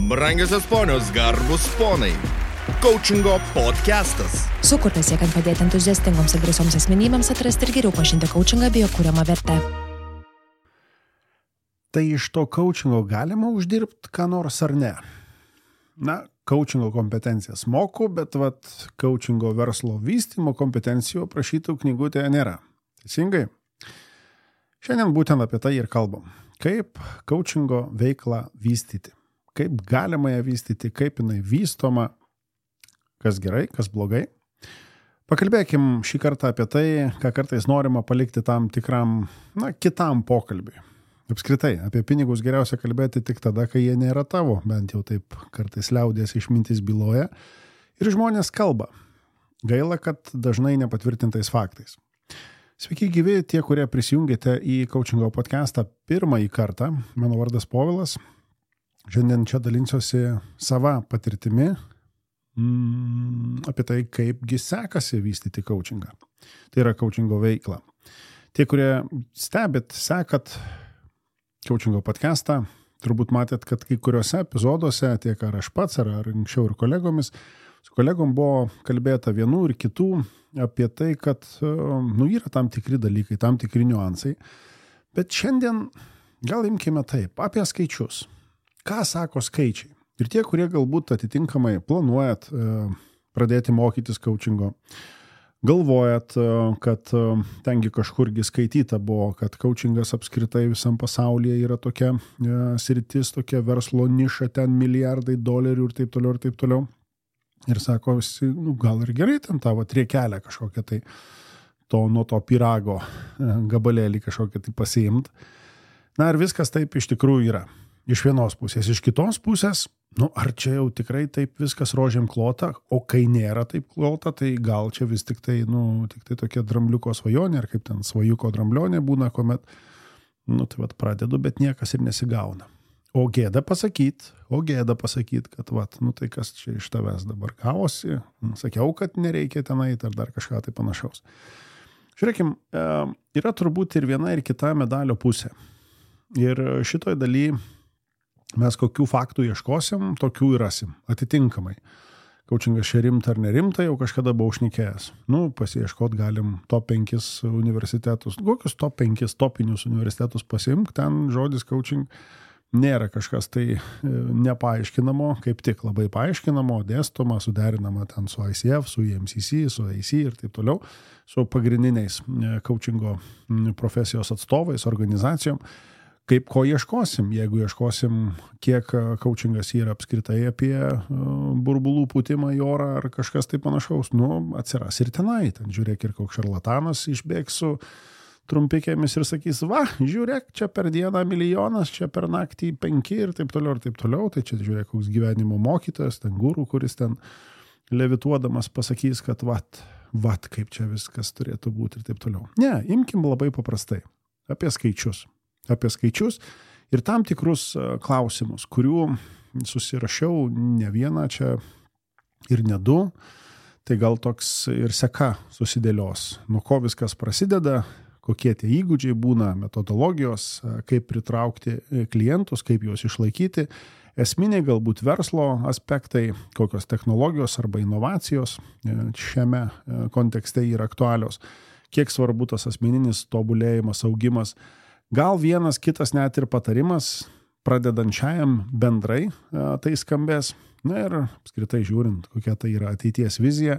Brangiosios ponios, garbus ponai. Coachingo podcastas. Sukurtas siekiant padėti entuziastingoms ir drąsioms asmenybėms atrasti ir geriau pažinti coachingą bei jo kuriamą vertę. Tai iš to coachingo galima uždirbti ką nors ar ne? Na, coachingo kompetencijas moku, bet coachingo verslo vystymo kompetencijų prašytų knygutėje nėra. Teisingai? Šiandien būtent apie tai ir kalbam. Kaip coachingo veiklą vystyti? Kaip galima ją vystyti? Kaip jinai vystoma? Kas gerai, kas blogai? Pakalbėkim šį kartą apie tai, ką kartais norima palikti tam tikram, kitam pokalbiui. Apskritai, apie pinigus geriausia kalbėti tik tada, kai jie nėra tavo, bent jau taip kartais liaudies išmintis byloja. Ir žmonės kalba. Gaila, kad dažnai nepatvirtintais faktais. Sveiki gyvi tie, kurie prisijungėte į Coachingo podcastą pirmąjį kartą. Mano vardas Povilas. Šiandien čia dalinsiuosi sava patirtimi apie tai, kaipgi sekasi vystyti coachingą. Tai yra coachingo veikla. Tie, kurie sekat Coachingo podcastą, turbūt matėt, kad kai kuriuose epizoduose, tiek ar aš pats, ar anksčiau ir kolegomis, su kolegom buvo kalbėta vienų ir kitų apie tai, kad yra tam tikri dalykai, tam tikri niuansai. Bet šiandien gal imkime taip, apie skaičius. Ką sako skaičiai? Ir tie, kurie galbūt atitinkamai planuojat pradėti mokytis coachingo, galvojat, kad tengi kažkurgi skaityta buvo, kad coachingas apskritai visam pasaulyje yra tokia sritis, tokia verslo niša, ten milijardai dolerių ir taip toliau ir taip toliau. Ir sako, gal ir gerai ten tavo triekelę kažkokią tai nuo to pyrago gabalėlį kažkokią tai pasiimt. Na ir viskas taip iš tikrųjų yra. Iš vienos pusės. Iš kitos pusės, ar čia jau tikrai taip viskas rožėm klota, o kai nėra taip klota, tai gal čia vis tik tai tokia drambliuko svajonė, ar kaip ten svajuko dramblionė būna, kuomet, pradedu, bet niekas ir nesigauna. O gėda pasakyt, kad tai kas čia iš tavęs dabar gavosi, sakiau, kad nereikia tenai, ar dar kažką tai panašaus. Žiūrėkim, yra turbūt ir viena ir kita medalio pusė. Ir šitoj daly mes kokių faktų ieškosim, tokių ir rasim, atitinkamai. Coachingas čia rimta ar nerimta, jau kažkada buvau šnekėjęs. Pasiieškot galim top 5 universitetus. Kokius top 5 topinius universitetus pasiimk, ten žodis coaching nėra kažkas tai nepaaiškinamo, kaip tik labai paaiškinamo, dėstoma, suderinama ten su ICF, su EMCC, su AC ir taip toliau, su pagrindiniais coachingo profesijos atstovais, organizacijom. Kaip ko ieškosim? Jeigu ieškosim, kiek coachingas yra apskritai apie burbulų pūtimą į orą ar kažkas tai panašaus, atsiras ir tenai. Ten žiūrėk ir koks šarlatanas išbėgs su trumpikėmis ir sakys, žiūrėk, čia per dieną 1 milijonas, čia per naktį 5 ir taip toliau ir taip toliau. Tai čia žiūrėk, koks gyvenimo mokytojas, ten guru, kuris ten levituodamas pasakys, kad kaip čia viskas turėtų būti ir taip toliau. Ne, imkim labai paprastai. Apie skaičius ir tam tikrus klausimus, kurių susirašiau ne vieną čia ir ne 2, tai gal toks ir seka susidėlios. Nuo ko viskas prasideda, kokie tie įgūdžiai būna, metodologijos, kaip pritraukti klientus, kaip juos išlaikyti, esminiai galbūt verslo aspektai, kokios technologijos arba inovacijos šiame kontekste yra aktualios, kiek svarbu tas asmeninis tobulėjimas, augimas. Gal vienas kitas net ir patarimas pradedančiajam bendrai tai skambės. Na ir apskritai žiūrint, kokia tai yra ateities vizija.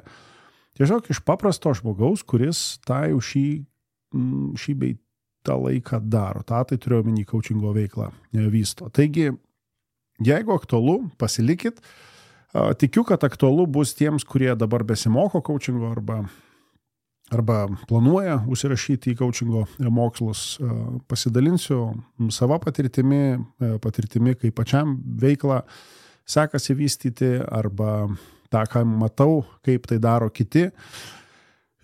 Tiesiog iš paprasto žmogaus, kuris tą jau šį bei tą laiką daro. Tai turiu omeny coachingo veiklą vysto. Taigi, jeigu aktualu, pasilikit. Tikiu, kad aktualu bus tiems, kurie dabar besimoko coachingo arba planuoja užsirašyti į coachingo mokslus. Pasidalinsiu savo patirtimi, kaip pačiam veiklą sekasi vystyti, arba tą, ką matau, kaip tai daro kiti.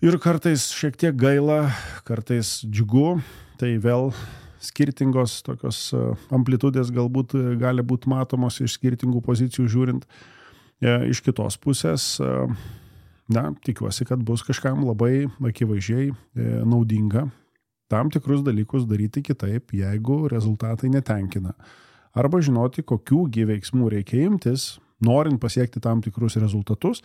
Ir kartais šiek tiek gaila, kartais džiugu, tai vėl skirtingos tokios amplitudės galbūt gali būti matomos iš skirtingų pozicijų žiūrint. Iš kitos pusės, tikiuosi, kad bus kažkam labai akivaizdžiai naudinga tam tikrus dalykus daryti kitaip, jeigu rezultatai netenkina. arba žinoti, kokių veiksmų reikia imtis, norint pasiekti tam tikrus rezultatus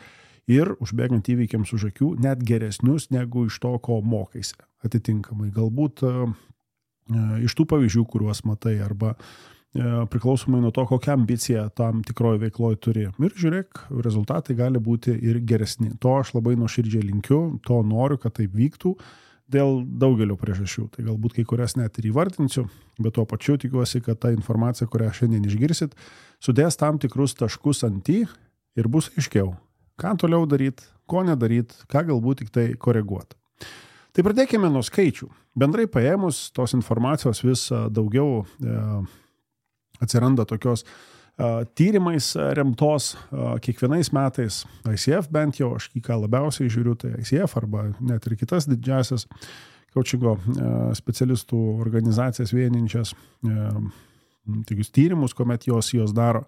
ir užbėgant įvykiams už akių net geresnius negu iš to, ko mokaisi. Atitinkamai, galbūt iš tų pavyzdžių, kuriuos matai, arba priklausomai nuo to, kokią ambiciją tam tikroje veikloje turi. Ir žiūrėk, rezultatai gali būti ir geresni. To aš labai nuoširdžiai linkiu, to noriu, kad taip vyktų dėl daugelio priežasčių. Tai galbūt kai kurias net ir įvardinsiu, bet tuo pačiu tikiuosi, kad ta informacija, kurią šiandien išgirsit, sudės tam tikrus taškus ant į ir bus aiškiau, ką toliau daryti, ko nedaryti, ką galbūt tik tai koreguoti. Tai pradėkime nuo skaičių. Bendrai paėmus, tos informacijos vis daugiau atsiranda tokios tyrimais remtos kiekvienais metais. ICF bent jau, aš ką labiausiai žiūriu, tai ICF arba net ir kitas didžiasias coachingo specialistų organizacijas vieninčias tokius tyrimus, kuomet jos daro.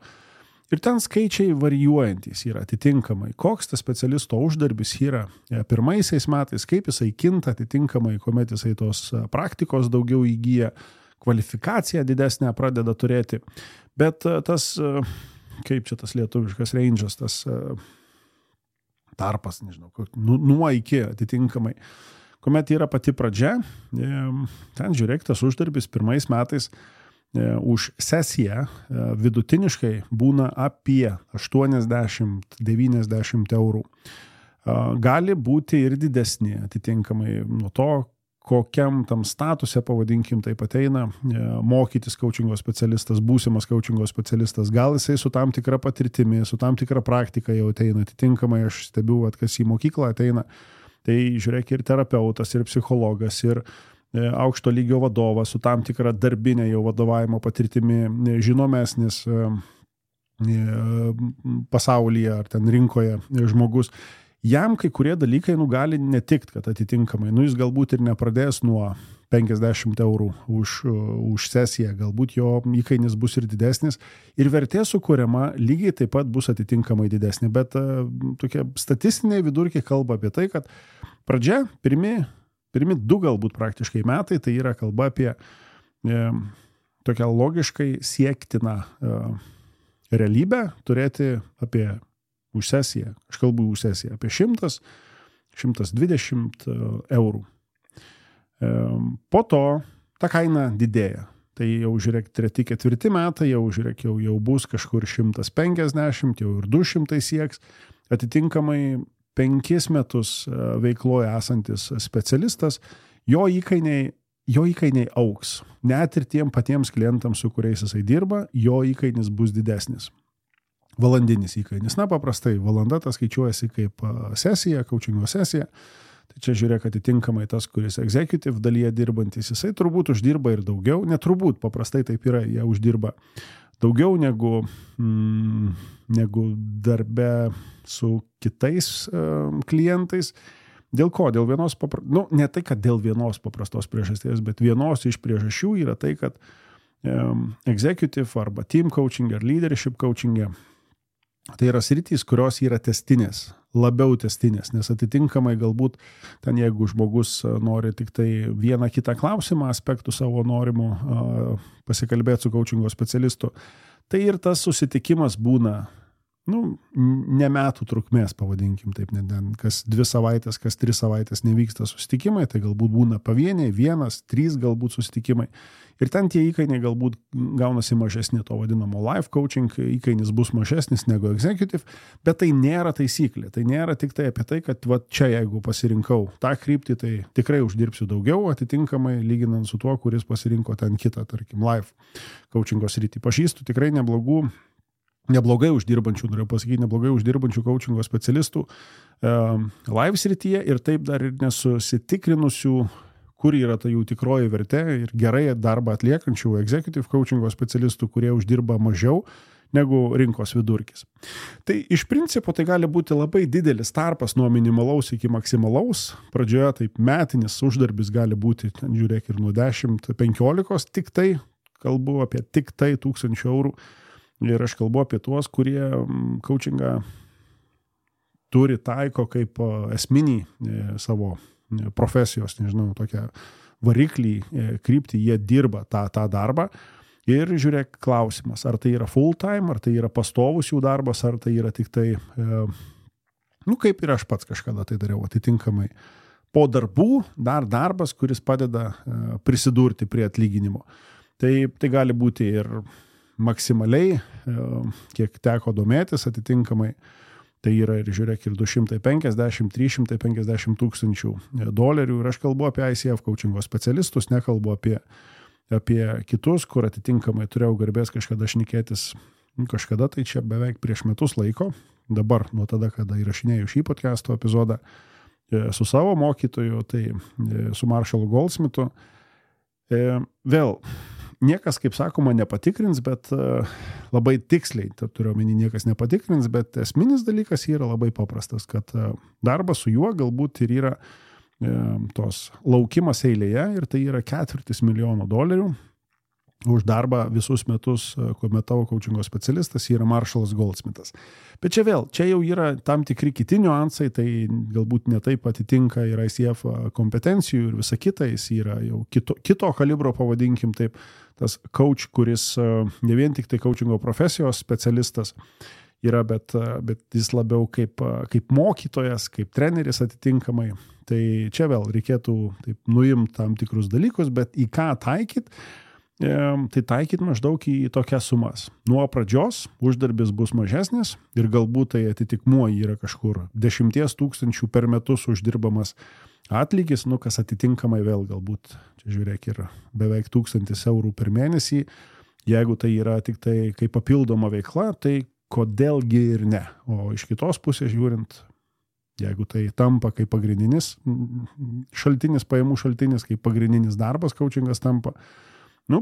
Ir ten skaičiai varijuojantys yra atitinkamai. Koks tas specialisto uždarbis yra pirmaisiais metais, kaip jisai kinta atitinkamai, kuomet jisai tos praktikos daugiau įgyja, kvalifikaciją didesnę pradeda turėti. Bet tas, kaip čia tas lietuviškas range'as, tas tarpas, nežinau, nuo iki atitinkamai. Kuomet yra pati pradžia, ten žiūrėk, tas uždarbis pirmais metais už sesiją vidutiniškai būna apie 80-90 eurų. Gali būti ir didesni atitinkamai nuo to, kokiam tam statuse, pavadinkim, taip ateina mokytis coachingo specialistas, būsimas coachingo specialistas. Gal jisai su tam tikra patirtimi, su tam tikra praktika jau ateina. Atitinkamai aš stebiu, kas į mokyklą ateina. Tai žiūrėk, ir terapeutas, ir psichologas, ir aukšto lygio vadovas su tam tikra darbinė jau vadovavimo patirtimi, žinomesnis pasaulyje ar ten rinkoje žmogus. Jam kai kurie dalykai gali netikti, kad atitinkamai, jis galbūt ir nepradės nuo 50 eurų už sesiją, galbūt jo įkainis bus ir didesnis ir vertė sukuriama lygiai taip pat bus atitinkamai didesnė, bet tokie statistiniai vidurkiai kalba apie tai, kad pradžia, pirmi 2 galbūt praktiškai metai, tai yra kalba apie tokią logiškai siektiną realybę, turėti apie už sesiją, aš kalbu už sesiją, apie 100-120 eurų. Po to ta kaina didėja. Tai jau žiūrėk, 3-4 metai, jau žiūrėk, jau bus kažkur 150, jau ir 200 sieks. Atitinkamai 5 metus veikloje esantis specialistas, jo įkainiai augs. Net ir tiem patiems klientams, su kuriais jisai dirba, jo įkainis bus didesnis. Valandinis įkainis. Na, paprastai, valanda tas skaičiuojasi kaip sesija, coachingo sesija. Tai čia žiūrėk, atitinkamai tas, kuris executive dalyje dirbantis, jisai turbūt uždirba ir daugiau. Neturbūt, paprastai taip yra, jie uždirba daugiau negu darbe su kitais klientais. Dėl ko? Dėl vienos ne tai, kad dėl vienos paprastos priežasties, bet vienos iš priežasčių yra tai, kad executive arba team coaching ar leadership coaching tai yra sritys, kurios yra testinės, labiau testinės, nes atitinkamai galbūt ten, jeigu žmogus nori tik tai vieną kitą klausimą, aspektų savo norimų pasikalbėti su coachingo specialistu, tai ir tas susitikimas būna, ne metų trukmės, pavadinkim taip, kas 2 savaitės, kas 3 savaitės nevyksta susitikimai, tai galbūt būna pavieniai, 1-3 galbūt susitikimai. Ir ten tie įkainiai galbūt gaunasi mažesni, to vadinamo life coaching, įkainis bus mažesnis negu executive, bet tai nėra taisyklė, tai nėra tik tai apie tai, kad čia jeigu pasirinkau tą kryptį, tai tikrai uždirbsiu daugiau, atitinkamai lyginant su tuo, kuris pasirinko ten kitą, tarkim, life coachingo sritį. Pažįstu tikrai neblogai uždirbančių, noriu pasakyti, neblogai uždirbančių coachingo specialistų live srityje ir taip dar ir nesusitikrinusių, kur yra ta jų tikroji vertė ir gerai darbą atliekančių executive coachingo specialistų, kurie uždirba mažiau negu rinkos vidurkis. Tai iš principo tai gali būti labai didelis tarpas nuo minimalaus iki maksimalaus. Pradžioje taip metinis uždarbis gali būti, ten žiūrėk, ir nuo 10-15, tik tai, kalbu apie tik tai 1000 eurų. Ir aš kalbu apie tuos, kurie coachingą turi, taiko kaip esminį savo profesijos, nežinau, tokią variklį, kryptį, jie dirba tą darbą. Ir žiūrėk klausimas, ar tai yra full time, ar tai yra pastovus jų darbas, ar tai yra tik tai, kaip ir aš pats kažkada tai dariau atitinkamai. Po darbų dar darbas, kuris padeda prisidurti prie atlyginimo. Tai gali būti ir maksimaliai, kiek teko domėtis atitinkamai, tai yra ir žiūrėk ir 250-350 tūkstančių dolerių. Ir aš kalbu apie ICF coachingo specialistus, nekalbu apie kitus, kur atitinkamai turėjau garbės kažkada šnekėtis, kažkada tai čia beveik prieš metus laiko, dabar nuo tada, kada įrašinėjau šį podcast'o epizodą su savo mokytoju, tai su Marshallu Goldsmithu. Vėl, niekas, kaip sakoma, nepatikrins, bet labai tiksliai, turiu omeny, niekas nepatikrins, bet esminis dalykas yra labai paprastas, kad darbas su juo galbūt ir yra tos laukimas eilėje ir tai yra $250,000 už darbą visus metus, kuomet tavo coachingo specialistas yra Marshallas Goldsmithas. Bet čia vėl, čia jau yra tam tikri kiti niuansai, tai galbūt netaip atitinka ir ICF kompetencijų ir visa kita, jis yra jau kito kalibro, pavadinkim taip, tas coach, kuris ne vien tik tai coachingo profesijos specialistas yra, bet jis labiau kaip mokytojas, kaip treneris atitinkamai. Tai čia vėl reikėtų taip nuimti tam tikrus dalykus, bet į ką taikyt, tai taikyt maždaug į tokias sumas. Nuo pradžios uždarbis bus mažesnis ir galbūt tai atitikmuo yra kažkur 10 000 per metus uždirbamas atlygis, kas atitinkamai vėl galbūt, čia žiūrėk, ir beveik 1,000 eurų per mėnesį. Jeigu tai yra tik tai kaip papildoma veikla, tai kodėlgi ir ne. O iš kitos pusės žiūrint, jeigu tai tampa kaip pagrindinis šaltinis, pajamų šaltinis, kaip pagrindinis darbas, coachingas tampa,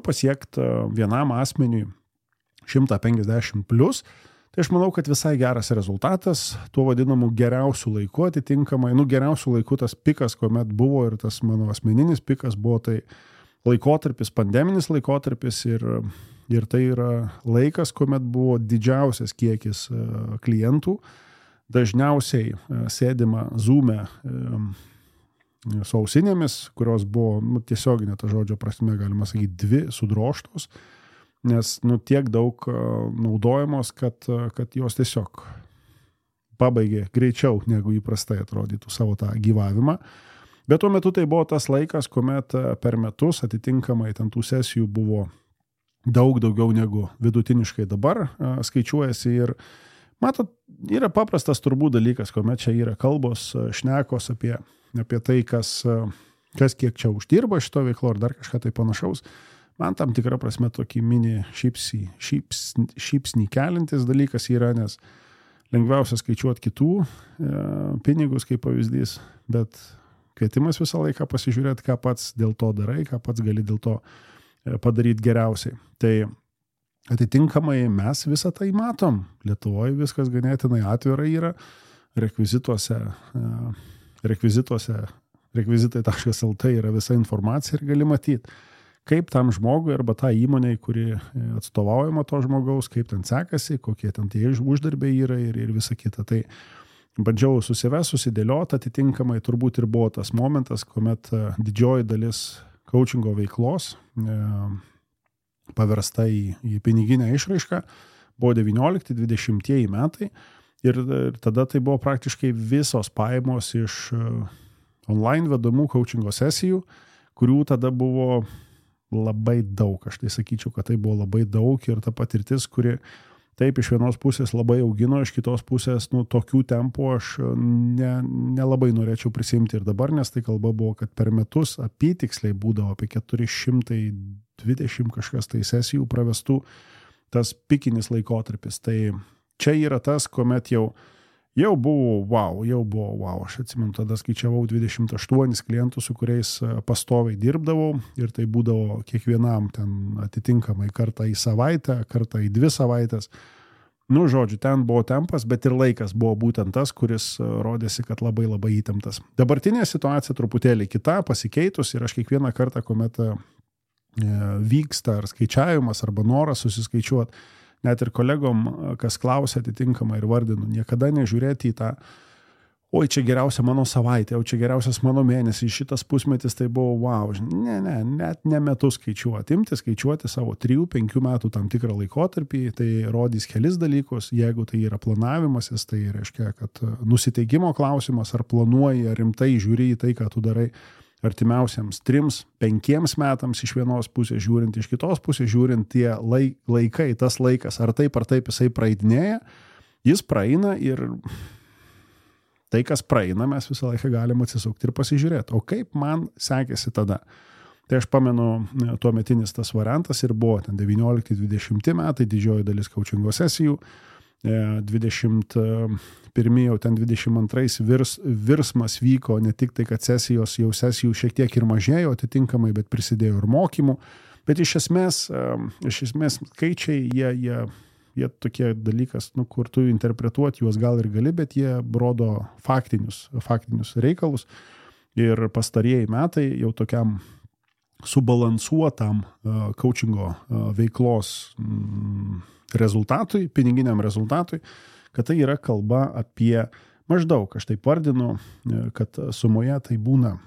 pasiekti vienam asmeniui 150 plus, tai aš manau, kad visai geras rezultatas, tuo vadinamu geriausių laiku atitinkamai, geriausių laikų tas pikas, kuomet buvo ir tas mano asmeninis pikas buvo tai laikotarpis, pandeminis laikotarpis ir tai yra laikas, kuomet buvo didžiausias kiekis klientų, dažniausiai sėdima Zoom'e su ausinėmis, kurios buvo tiesioginė ta žodžio prasme, galima sakyti, 2 sudrožtos, nes tiek daug naudojamos, kad jos tiesiog pabaigė greičiau, negu įprastai atrodytų savo tą gyvavimą. Bet tuo metu tai buvo tas laikas, kuomet per metus atitinkamai ten tų sesijų buvo daug daugiau negu vidutiniškai dabar skaičiuojasi ir matot, yra paprastas turbūt dalykas, kuomet čia yra kalbos, šnekos apie tai, kas kiek čia uždirba šito veiklo ar dar kažką tai panašaus. Man tam tikra prasme tokį mini šypsnį kelintis dalykas yra, nes lengviausia skaičiuoti kitų pinigus kaip pavyzdys, bet kvietimas visą laiką pasižiūrėti, ką pats dėl to darai, ką pats gali dėl to padaryti geriausiai. Tai atitinkamai mes visą tai matom. Lietuvoje viskas ganėtinai atvirai yra. Rekvizitai.lt yra visa informacija ir gali matyti, kaip tam žmogui arba tą įmonei, kuri atstovaujama to žmogaus, kaip ten sekasi, kokie ten tie uždarbiai yra ir visa kita. Tai bandžiau susidėlioti atitinkamai, turbūt ir buvo tas momentas, kuomet didžioji dalis coachingo veiklos paversta į piniginę išraišką, buvo 19-20 metai ir tada tai buvo praktiškai visos pajamos iš online vedamų coachingo sesijų, kurių tada buvo labai daug. Aš tai sakyčiau, kad tai buvo labai daug ir ta patirtis, kuri taip iš vienos pusės labai augino, iš kitos pusės tokių tempų aš nelabai norėčiau prisimti ir dabar, nes tai kalba buvo, kad per metus apytiksliai būdavo apie 420 kažkas tai sesijų pravestų tas pikinis laikotarpis. Tai čia yra tas, kuomet jau buvo wow. Aš atsimenu, tada skaičiavau 28 klientus, su kuriais pastoviai dirbdavau ir tai būdavo kiekvienam ten atitinkamai kartą į savaitę, kartą į 2 savaitės. Žodžiu, ten buvo tempas, bet ir laikas buvo būtent tas, kuris rodėsi, kad labai labai įtemptas. Dabartinė situacija truputėlį kita, pasikeitus ir aš kiekvieną kartą, kuomet vyksta ar skaičiavimas arba noras susiskaičiuoti, net ir kolegom, kas klausia atitinkamai ir vardinu, niekada nežiūrėti į tą oi, čia geriausia mano savaitė, o čia geriausias mano mėnesis, šitas pusmetis tai buvo wow. Net ne metus skaičiuoti. Imti skaičiuoti savo 3-5 metų tam tikrą laikotarpį, tai rodys kelis dalykus. Jeigu tai yra planavimasis, tai reiškia, kad nusiteikimo klausimas, ar planuoji, ar rimtai žiūri į tai, ką tu darai artimiausiams 3-5 metams iš vienos pusės žiūrint, iš kitos pusės žiūrint, tie laikai, tas laikas, ar taip jisai praeidinėja, jis praeina ir tai, kas praeina, mes visą laiką galim atsisukti ir pasižiūrėti. O kaip man sekėsi tada? Tai aš pamenu, tuometinis tas variantas ir buvo ten 19-20 metai, didžioji dalis coachingo sesijų, 21 jau ten 22 virsmas vyko, ne tik tai, kad sesijų šiek tiek ir mažėjo atitinkamai, bet prisidėjo ir mokymų. Bet iš esmės skaičiai, jie tokie dalykas, kur tu interpretuoti juos gal ir gali, bet jie rodo faktinius reikalus. Ir pastarieji metai jau tokiam subalansuotam coachingo veiklos rezultatui, piniginiam rezultatui, kad tai yra kalba apie maždaug, aš taip vardinu, kad sumoje tai būna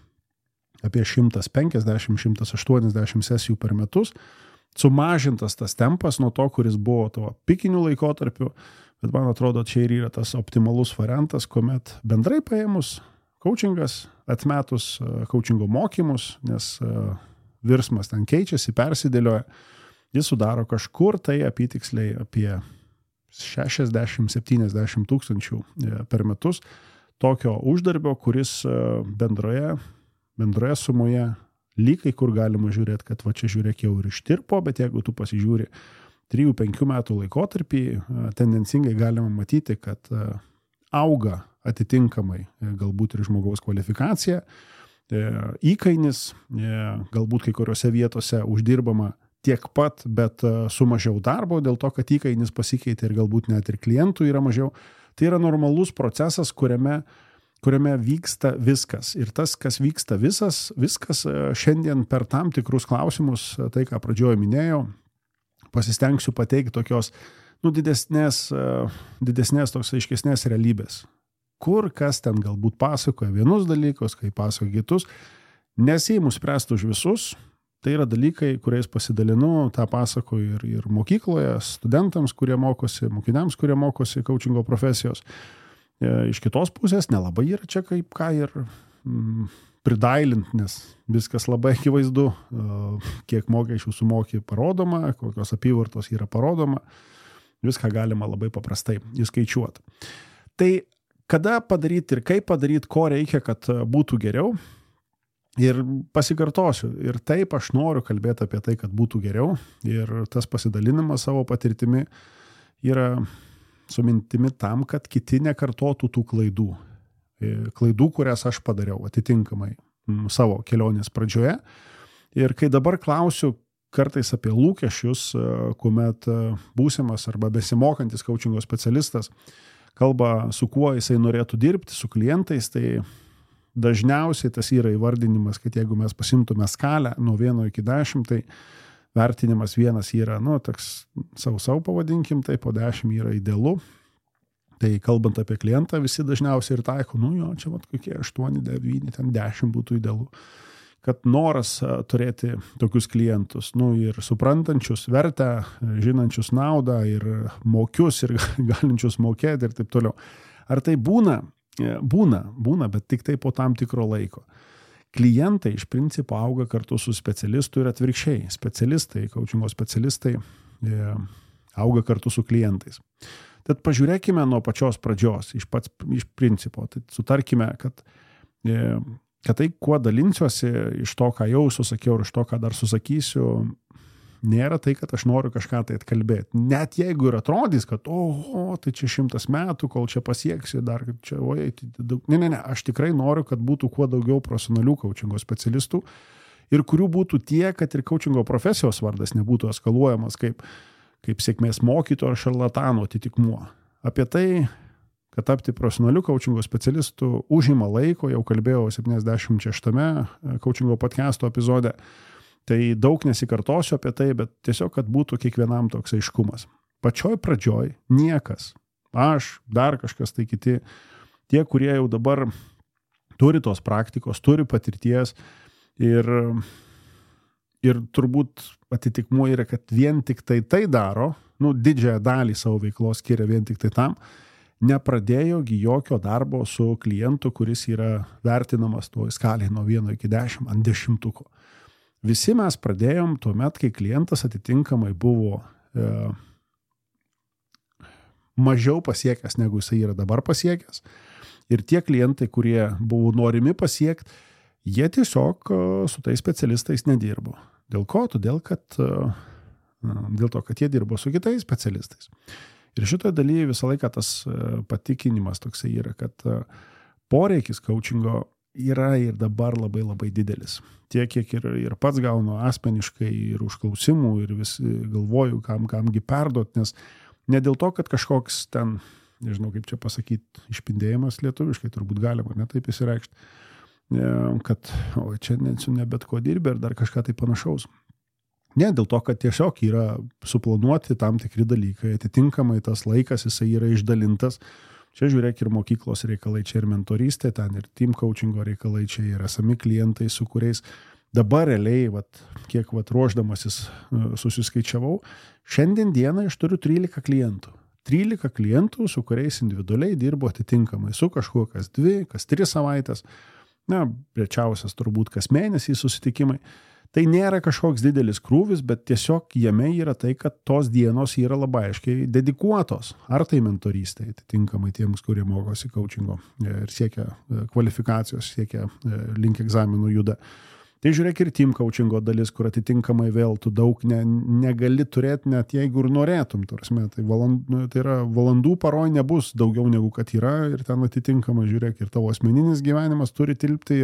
apie 150-180 sesijų per metus, sumažintas tas tempas nuo to, kuris buvo to pikinių laikotarpių, bet man atrodo, čia ir yra tas optimalus variantas, kuomet bendrai paėmus coachingas, atmetus coachingo mokymus, nes virsmas ten keičiasi, persidėlioja, jis sudaro kažkur tai apytiksliai apie 60-70 tūkstančių per metus tokio uždarbio, kuris bendroje sumoje lygai, kur galima žiūrėti, kad va čia žiūrėk jau ir ištirpo, bet jeigu tu pasižiūri 3-5 metų laikotarpį, tendencingai galima matyti, kad auga atitinkamai galbūt ir žmogaus kvalifikacija, įkainis, galbūt kai kuriuose vietose uždirbama tiek pat, bet su mažiau darbo, dėl to, kad įkainis pasikeitė ir galbūt net ir klientų yra mažiau. Tai yra normalus procesas, kuriame vyksta viskas. Ir tas, kas vyksta viskas šiandien per tam tikrus klausimus, tai ką pradžioje minėjau, pasistengsiu pateikti tokios didesnės toks aiškesnės realybės. Kur kas ten galbūt pasakoja vienus dalykus, kai pasakoja kitus, nesiimu spręsti už visus. Tai yra dalykai, kuriais pasidalinu, tą pasakoju ir mokykloje, studentams, kurie mokosi, mokiniams, kurie mokosi coachingo profesijos. Iš kitos pusės nelabai yra čia kaip ką ir pridailint, nes viskas labai akivaizdu, kiek mokesčių sumoki parodoma, kokios apyvartos yra parodoma, viską galima labai paprastai įskaičiuoti. Tai kada padaryti ir kaip padaryti, ko reikia, kad būtų geriau. Ir pasikartosiu, ir taip aš noriu kalbėti apie tai, kad būtų geriau, ir tas pasidalinimas savo patirtimi yra su mintimi tam, kad kiti nekartotų tų klaidų, kurias aš padariau atitinkamai savo kelionės pradžioje. Ir kai dabar klausiu kartais apie lūkesčius, kuomet būsimas arba besimokantis coachingo specialistas kalba, su kuo jisai norėtų dirbti, su klientais, tai dažniausiai tas yra įvardinimas, kad jeigu mes pasimtume skalę nuo 1 iki 10, tai vertinimas 1 yra, toks sau pavadinkim, tai po 10 yra idealu. Tai kalbant apie klientą, visi dažniausiai ir taiko, čia kokie 8, 9, ten 10 būtų idealu. Kad noras turėti tokius klientus, ir suprantančius vertę, žinančius naudą, ir mokius, ir galinčius mokėti ir taip toliau. Ar tai būna? Būna, bet tik tai po tam tikro laiko. Klientai iš principo auga kartu su specialistu ir atvirkščiai. Specialistai, coachingo specialistai auga kartu su klientais. Tad pažiūrėkime nuo pačios pradžios, iš principo. Tai sutarkime, kad tai, kuo dalinsiuosi iš to, ką jau susakiau ir iš to, ką dar susakysiu, nėra tai, kad aš noriu kažką tai atkalbėti. Net jeigu ir atrodys, kad tai čia 100 metų, kol čia pasieksiu, dar čia, ne, aš tikrai noriu, kad būtų kuo daugiau profesionalių coachingo specialistų ir kurių būtų tiek, kad ir coachingo profesijos vardas nebūtų eskaluojamas kaip sėkmės mokytojo ar šarlatano atitikmuo. Apie tai, kad tapti profesionaliu coachingo specialistu užima laiko, jau kalbėjau 76 coachingo podcast'o epizode. Tai daug nesikartosiu apie tai, bet tiesiog, kad būtų kiekvienam toks aiškumas. Pačioj pradžioj niekas, aš, dar kažkas tai kiti, tie, kurie jau dabar turi tos praktikos, turi patirties ir turbūt atitikmuo yra, kad vien tik tai daro, didžiąją dalį savo veiklos skiria vien tik tai tam, nepradėjogi jokio darbo su klientu, kuris yra vertinamas toj skalėje nuo 1 iki 10 ant 10. Visi mes pradėjom tuomet, kai klientas atitinkamai buvo mažiau pasiekęs, negu jisai yra dabar pasiekęs. Ir tie klientai, kurie buvo norimi pasiekti, jie tiesiog su tais specialistais nedirbo. Dėl ko? Dėl to, kad jie dirbo su kitais specialistais. Ir šitoje dalyje visą laiką tas patikinimas toksai yra, kad poreikis coachingo yra ir dabar labai labai didelis. Tiek, kiek ir pats gaunu asmeniškai ir užklausimų ir vis galvoju, kamgi perduot, nes ne dėl to, kad kažkoks ten, nežinau kaip čia pasakyti, išpindėjimas lietuviškai, turbūt galima, ne taip įsireikšti, kad čia ne bet ko dirbi ir dar kažką tai panašaus. Ne, dėl to, kad tiesiog yra suplanuoti tam tikri dalykai, atitinkamai tas laikas jisai yra išdalintas. Čia žiūrėk ir mokyklos reikalai, čia ir mentorystė, ten ir team coachingo reikalai, čia ir esami klientai, su kuriais dabar realiai, kiek ruošdamasis susiskaičiavau, šiandien dieną aš turiu 13 klientų. 13 klientų, su kuriais individualiai dirbo atitinkamai, su kažkuo kas 2, kas 3 savaitės, rečiausias turbūt kas mėnesį susitikimai. Tai nėra kažkoks didelis krūvis, bet tiesiog jame yra tai, kad tos dienos yra labai aiškiai dedikuotos. Ar tai mentorystė, atitinkamai tiems, kurie mokosi coachingo ir siekia kvalifikacijos, siekia link egzaminų juda. Tai žiūrėk ir team coachingo dalis, kur atitinkamai vėl tu daug negali turėti, net jeigu ir norėtum. Tai yra valandų paroj nebus daugiau negu kad yra ir ten atitinkamai žiūrėk ir tavo asmeninis gyvenimas turi tilpti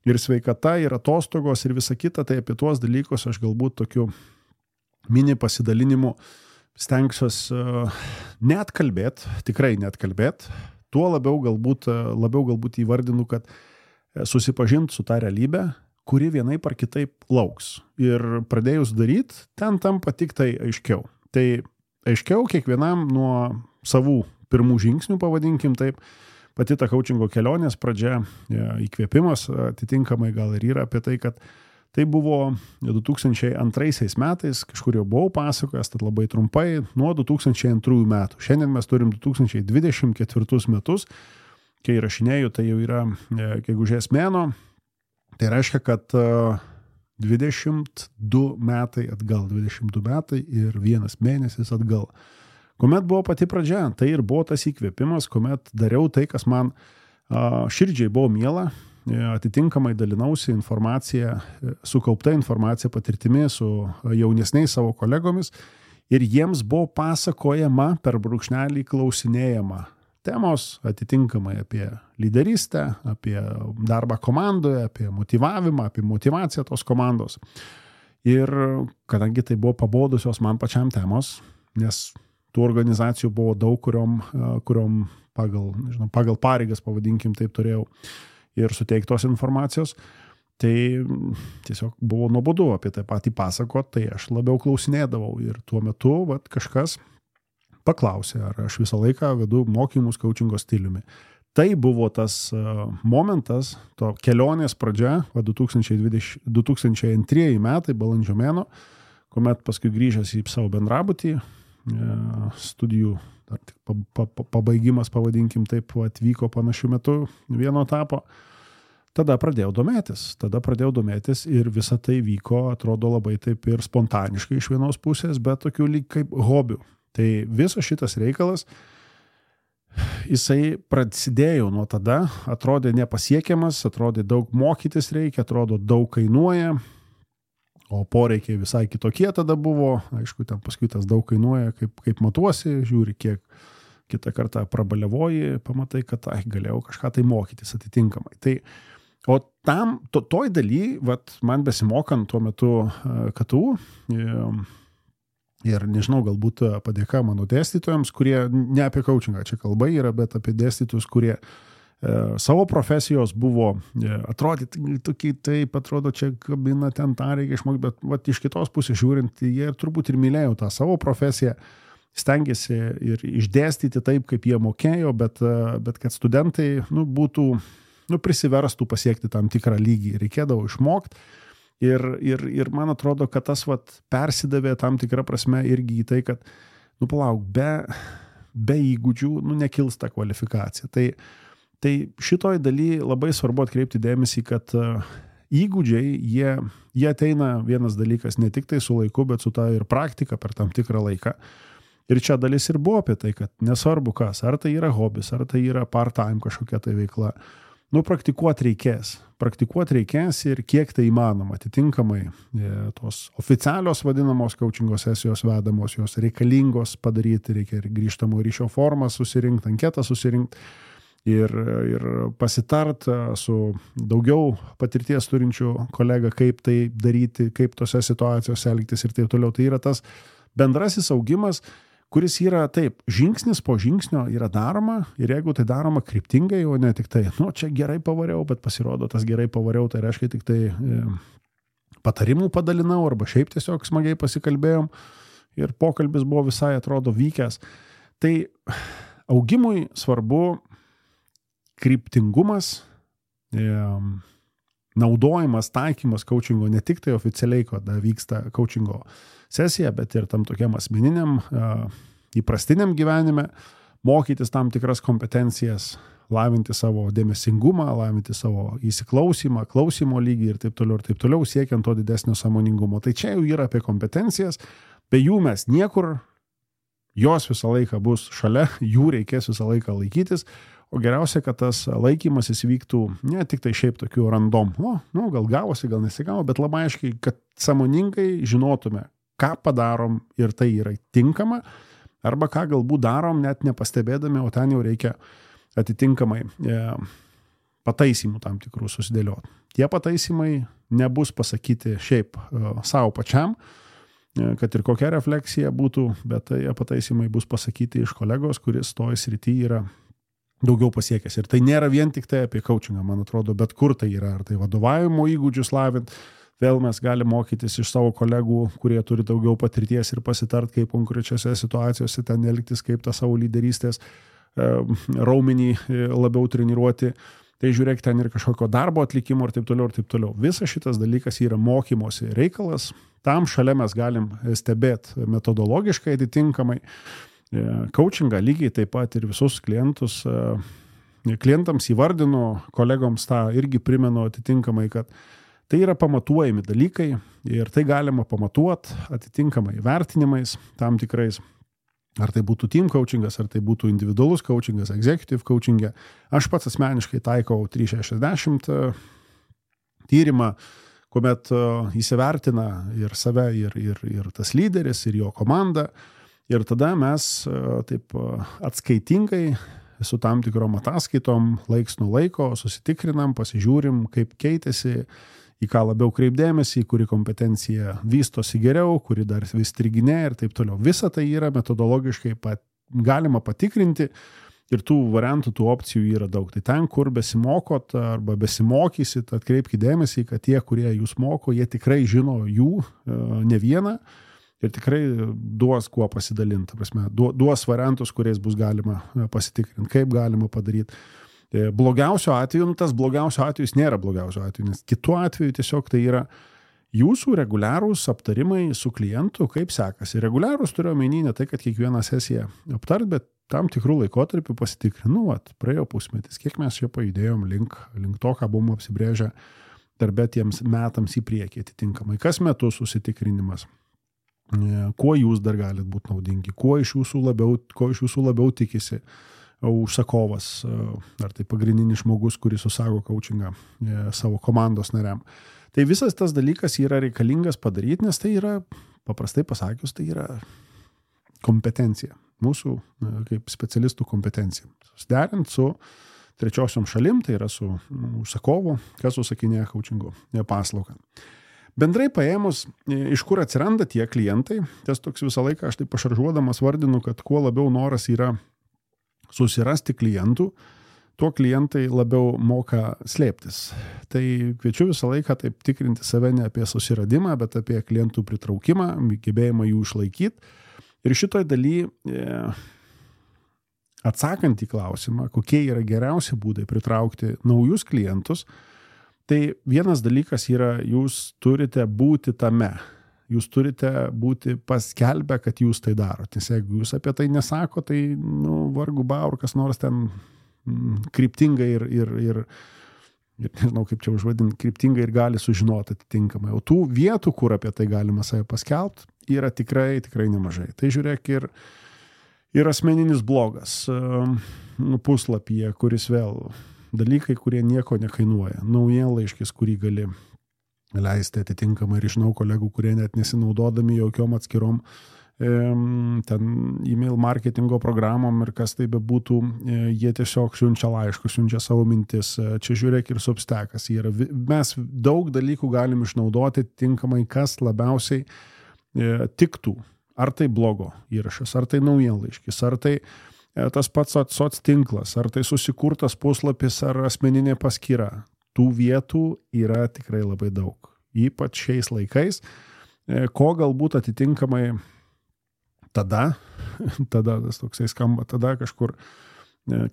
ir sveikata, ir atostogos, ir visa kita, tai apie tuos dalykus aš galbūt tokiu mini pasidalinimu stengsiuos net kalbėt, tikrai net kalbėt, tuo labiau galbūt įvardinu, kad susipažint su tą realybę, kuri vienaip ar kitaip lauks. Ir pradėjus daryti, ten tampa tik tai aiškiau. Tai aiškiau kiekvienam nuo savų pirmų žingsnių, pavadinkim taip, pati ta coachingo kelionės pradžia, įkvėpimas atitinkamai gal ir yra apie tai, kad tai buvo 2002 metais, kažkur jau buvau pasakojęs, tad labai trumpai, nuo 2002 metų. Šiandien mes turim 2024 metus, kai rašinėjau, tai jau yra gegužės mėnuo, tai reiškia, kad 22 metai atgal, 22 metai ir 1 mėnesis atgal. Kuomet buvo pati pradžia, tai ir buvo tas įkvėpimas, kuomet dariau tai, kas man širdžiai buvo miela, atitinkamai dalinausi informaciją, sukaupta informacija patirtimi su jaunesniais savo kolegomis ir jiems buvo pasakojama per brūkšnelį klausinėjama temos atitinkamai apie lyderystę, apie darbą komandoje, apie motyvavimą, apie motyvaciją tos komandos. Ir kadangi tai buvo pabodusios man pačiam temos, nes tų organizacijų buvo daug, kuriom pagal pareigas, pavadinkim taip, turėjau ir suteiktos informacijos, tai tiesiog buvo nuobodu apie tai patį pasakot, tai aš labiau klausinėdavau ir tuo metu kažkas paklausė, ar aš visą laiką vedu mokymus coachingo stiliumi. Tai buvo tas momentas, to kelionės pradžia, 2002 metai, balandžio mėnuo, kuomet paskui grįžęs į savo bendrabutį, studijų dar tik pabaigimas, pavadinkim taip, atvyko panašiu metu vieno etapo. Tada pradėjau domėtis ir visa tai vyko, atrodo labai taip ir spontaniškai iš vienos pusės, bet tokių lyg kaip hobių. Tai visas šitas reikalas, jisai prasidėjo nuo tada, atrodė nepasiekiamas, atrodė daug mokytis reikia, atrodo daug kainuoja, o poreikiai visai kitokie tada buvo, aišku, ten paskui tas daug kainuoja, kaip matuosi, žiūri, kiek kitą kartą prabaliavoji, pamatai, kad galėjau kažką tai mokytis atitinkamai. Tai, o toj daly, man besimokant tuo metu KTU, ir nežinau, galbūt padėka mano dėstytojams, kurie ne apie coachingą čia kalba yra, bet apie dėstytojus, kurie savo profesijos buvo atrodyti tokiai, taip atrodo, čia kabina ten tą reikia išmokti, bet iš kitos pusės žiūrint, jie turbūt ir mylėjo tą savo profesiją, stengiasi ir išdėstyti taip, kaip jie mokėjo, bet kad studentai būtų, prisiverstų pasiekti tam tikrą lygį. Reikėdavo išmokti ir man atrodo, kad tas persidavė tam tikrą prasme irgi į tai, kad, palauk, be įgūdžių, nekils ta kvalifikacija. Tai šitoj daly labai svarbu atkreipti dėmesį, kad įgūdžiai, jie ateina vienas dalykas ne tik tai su laiku, bet su ta ir praktika per tam tikrą laiką. Ir čia dalis ir buvo apie tai, kad nesvarbu kas, ar tai yra hobis, ar tai yra part-time kažkokia tai veikla, praktikuoti reikės ir kiek tai įmanoma. Atitinkamai tos oficialios vadinamos coachingo sesijos vedamos, jos reikalingos padaryti, reikia ir grįžtamo ryšio formą susirinkti, anketą susirinkti ir pasitart su daugiau patirties turinčių kolegą, kaip tai daryti, kaip tose situacijose elgtis ir taip toliau. Tai yra tas bendrasis augimas, kuris yra taip, žingsnis po žingsnio yra daroma ir jeigu tai daroma kryptingai, o ne tik tai, čia gerai pavariau, bet pasirodo tas gerai pavariau, tai reiškia tik tai patarimų padalinau arba šiaip tiesiog smagiai pasikalbėjom ir pokalbis buvo visai atrodo vykęs. Tai augimui svarbu kryptingumas, naudojimas, taikymas coachingo ne tik tai oficialiai, kada vyksta coachingo sesija, bet ir tam tokiam asmeniniam, įprastiniam gyvenime, mokytis tam tikras kompetencijas, lavinti savo dėmesingumą, lavinti savo įsiklausimą, klausimo lygį ir taip toliau, siekiant to didesnio sąmoningumo. Tai čia jau yra apie kompetencijas, be jų mes niekur, jos visą laiką bus šalia, jų reikės visą laiką laikytis, o geriausia, kad tas laikymasis vyktų ne tik tai šiaip tokių random, gal gavosi, gal nesigavo, bet labai aiškiai, kad sąmoningai žinotume, ką padarom ir tai yra tinkama, arba ką galbūt darom net nepastebėdami, o ten jau reikia atitinkamai pataisimų tam tikrų susidėlioti. Tie pataisimai nebus pasakyti šiaip savo pačiam, kad ir kokia refleksija būtų, bet tai pataisimai bus pasakyti iš kolegos, kuris toj srity yra daugiau pasiekęs. Ir tai nėra vien tik tai apie coachingą, man atrodo, bet kur tai yra, ar tai vadovavimo įgūdžius lavint, vėl mes galime mokytis iš savo kolegų, kurie turi daugiau patirties ir pasitart, kaip konkrečiose situacijose ten elgtis, kaip tą savo lyderystės raumenį labiau treniruoti. Tai žiūrėk, ten ir kažkokio darbo atlikimo ir taip toliau. Visas šitas dalykas yra mokymosi reikalas. Tam šalia mes galim stebėti metodologiškai atitinkamai. Coachingą lygiai taip pat ir visus klientams įvardinu, kolegoms tą irgi primenu atitinkamai, kad tai yra pamatuojami dalykai ir tai galima pamatuoti atitinkamai vertinimais tam tikrais. Ar tai būtų team coachingas, ar tai būtų individualus coachingas, executive coachingė. Aš pats asmeniškai taikau 360 tyrimą, kuomet įsivertina ir save, ir tas lyderis, ir jo komanda. Ir tada mes taip atskaitingai su tam tikrom ataskaitom laiks nuo laiko susitikrinam, pasižiūrim, kaip keitėsi, į ką labiau kreipdėmėsi, kuri kompetencija vystosi geriau, kuri dar vis striginė ir taip toliau. Visa tai yra metodologiškai galima patikrinti ir tų variantų, tų opcijų yra daug. Tai ten, kur besimokot arba besimokysit, atkreipkite dėmesį, kad tie, kurie jūs moko, jie tikrai žino jų ne vieną. Ir tikrai duos kuo pasidalinti, duos variantus, kuriais bus galima pasitikrinti, kaip galima padaryti. Blogiausio atveju, tas blogiausio atvejus nėra blogiausio atveju, nes kitu atveju tiesiog tai yra jūsų reguliarūs aptarimai su klientu, kaip sekasi. Reguliarūs turiu omeny ne tai, kad kiekvieną sesiją aptart, bet tam tikrų laikotarpių pasitikrinu, praėjo pusmetis, kiek mes čia pajudėjom link to, ką buvom apsibrėžę darbe tiems metams į priekį atitinkamai. Kas metus susitikrinimas. Kuo jūs dar galite būti naudingi, ko iš jūsų labiau tikisi užsakovas, ar tai pagrindinis žmogus, kuris užsako coachingą savo komandos nariam. Tai visas tas dalykas yra reikalingas padaryti, nes tai yra, paprastai pasakius, tai yra kompetencija, mūsų kaip specialistų kompetencija. Susiderint su trečiosiom šalim, tai yra su užsakovu, kas užsakinėja coachingo paslaugą. Bendrai paėmus, iš kur atsiranda tie klientai, tas toks visą laiką aš taip pašaržuodamas vardinu, kad kuo labiau noras yra susirasti klientų, tuo klientai labiau moka slėptis. Tai kviečiu visą laiką taip tikrinti save ne apie susiradimą, bet apie klientų pritraukimą, gebėjimą jų išlaikyti. Ir šitoj daly, atsakant į klausimą, kokie yra geriausi būdai pritraukti naujus klientus, tai vienas dalykas yra, jūs turite būti tame. Jūs turite būti paskelbę, kad jūs tai darote. Nes jeigu jūs apie tai nesako, tai vargu bau, kas nors ten kryptingai ir nežinau, kaip čia užvadinti, kryptingai ir gali sužinoti atitinkamai. O tų vietų, kur apie tai galima save paskelbti, yra tikrai nemažai. Tai žiūrėk ir asmeninis blogas puslapyje, kuris vėl dalykai, kurie nieko nekainuoja. Naujienlaiškis, kurį gali leisti atitinkamai ir žinau kolegų, kurie net nesinaudodami jokiom atskirom ten email marketingo programom ir kas tai bebūtų, jie tiesiog siunčia laiškus, siunčia savo mintis. Čia žiūrėk ir Substackas. Mes daug dalykų galim išnaudoti tinkamai, kas labiausiai tiktų. Ar tai blogo įrašas, ar tai naujienlaiškis, ar tai tas pats soc tinklas, ar tai susikurtas puslapis, ar asmeninė paskyra. Tų vietų yra tikrai labai daug. Ypač šiais laikais, ko galbūt atitinkamai tada tas toksai skamba, tada kažkur,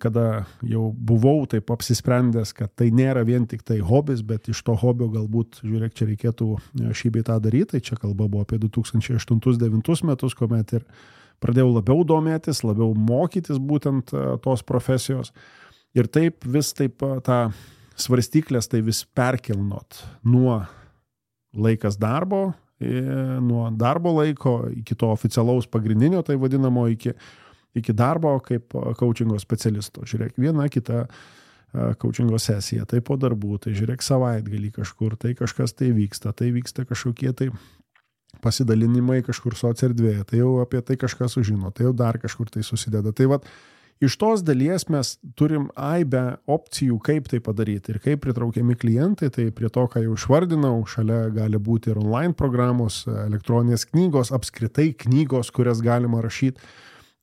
kada jau buvau taip apsisprendęs, kad tai nėra vien tik tai hobis, bet iš to hobio galbūt, žiūrėk, čia reikėtų šį bei tą daryti, tai čia kalba buvo apie 2008-2009 metus, kuomet ir pradėjau labiau domėtis, labiau mokytis būtent tos profesijos ir taip vis taip tą svarstyklės tai vis perkelnot nuo laikas darbo, nuo darbo laiko iki to oficialaus pagrindinio, tai vadinamo iki darbo kaip coachingo specialisto. Žiūrėk, viena kita coachingo sesija, tai po darbų, tai žiūrėk savaitgalį kažkur, tai kažkas tai vyksta kažkokie tai pasidalinimai kažkur soc erdvėje, tai jau apie tai kažkas sužino, tai jau dar kažkur tai susideda. Tai vat, iš tos dalies mes turim aibę opcijų, kaip tai padaryti ir kaip pritraukiami klientai, tai prie to, ką jau išvardinau, šalia gali būti ir online programos, elektroninės knygos, apskritai knygos, kurias galima rašyti.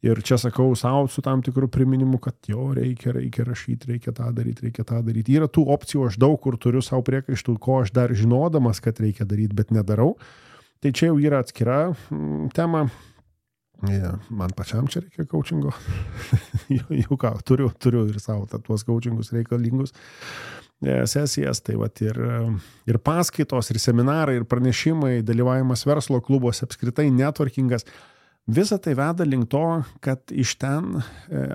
Ir čia sakau savo su tam tikrų priminimu, kad jo reikia rašyti, reikia tą daryti. Yra tų opcijų, aš daug kur turiu savo priekaištų, ko aš dar žinodamas, kad reikia daryti, bet nedarau. Tai čia jau yra atskira tema. Man pačiam čia reikia coachingo. Jau ką, turiu ir savo tuos coachingus reikalingus sesijas, tai vat ir paskaitos, ir seminarai, ir pranešimai, dalyvavimas verslo klubuose, apskritai networkingas. Visa tai veda link to, kad iš ten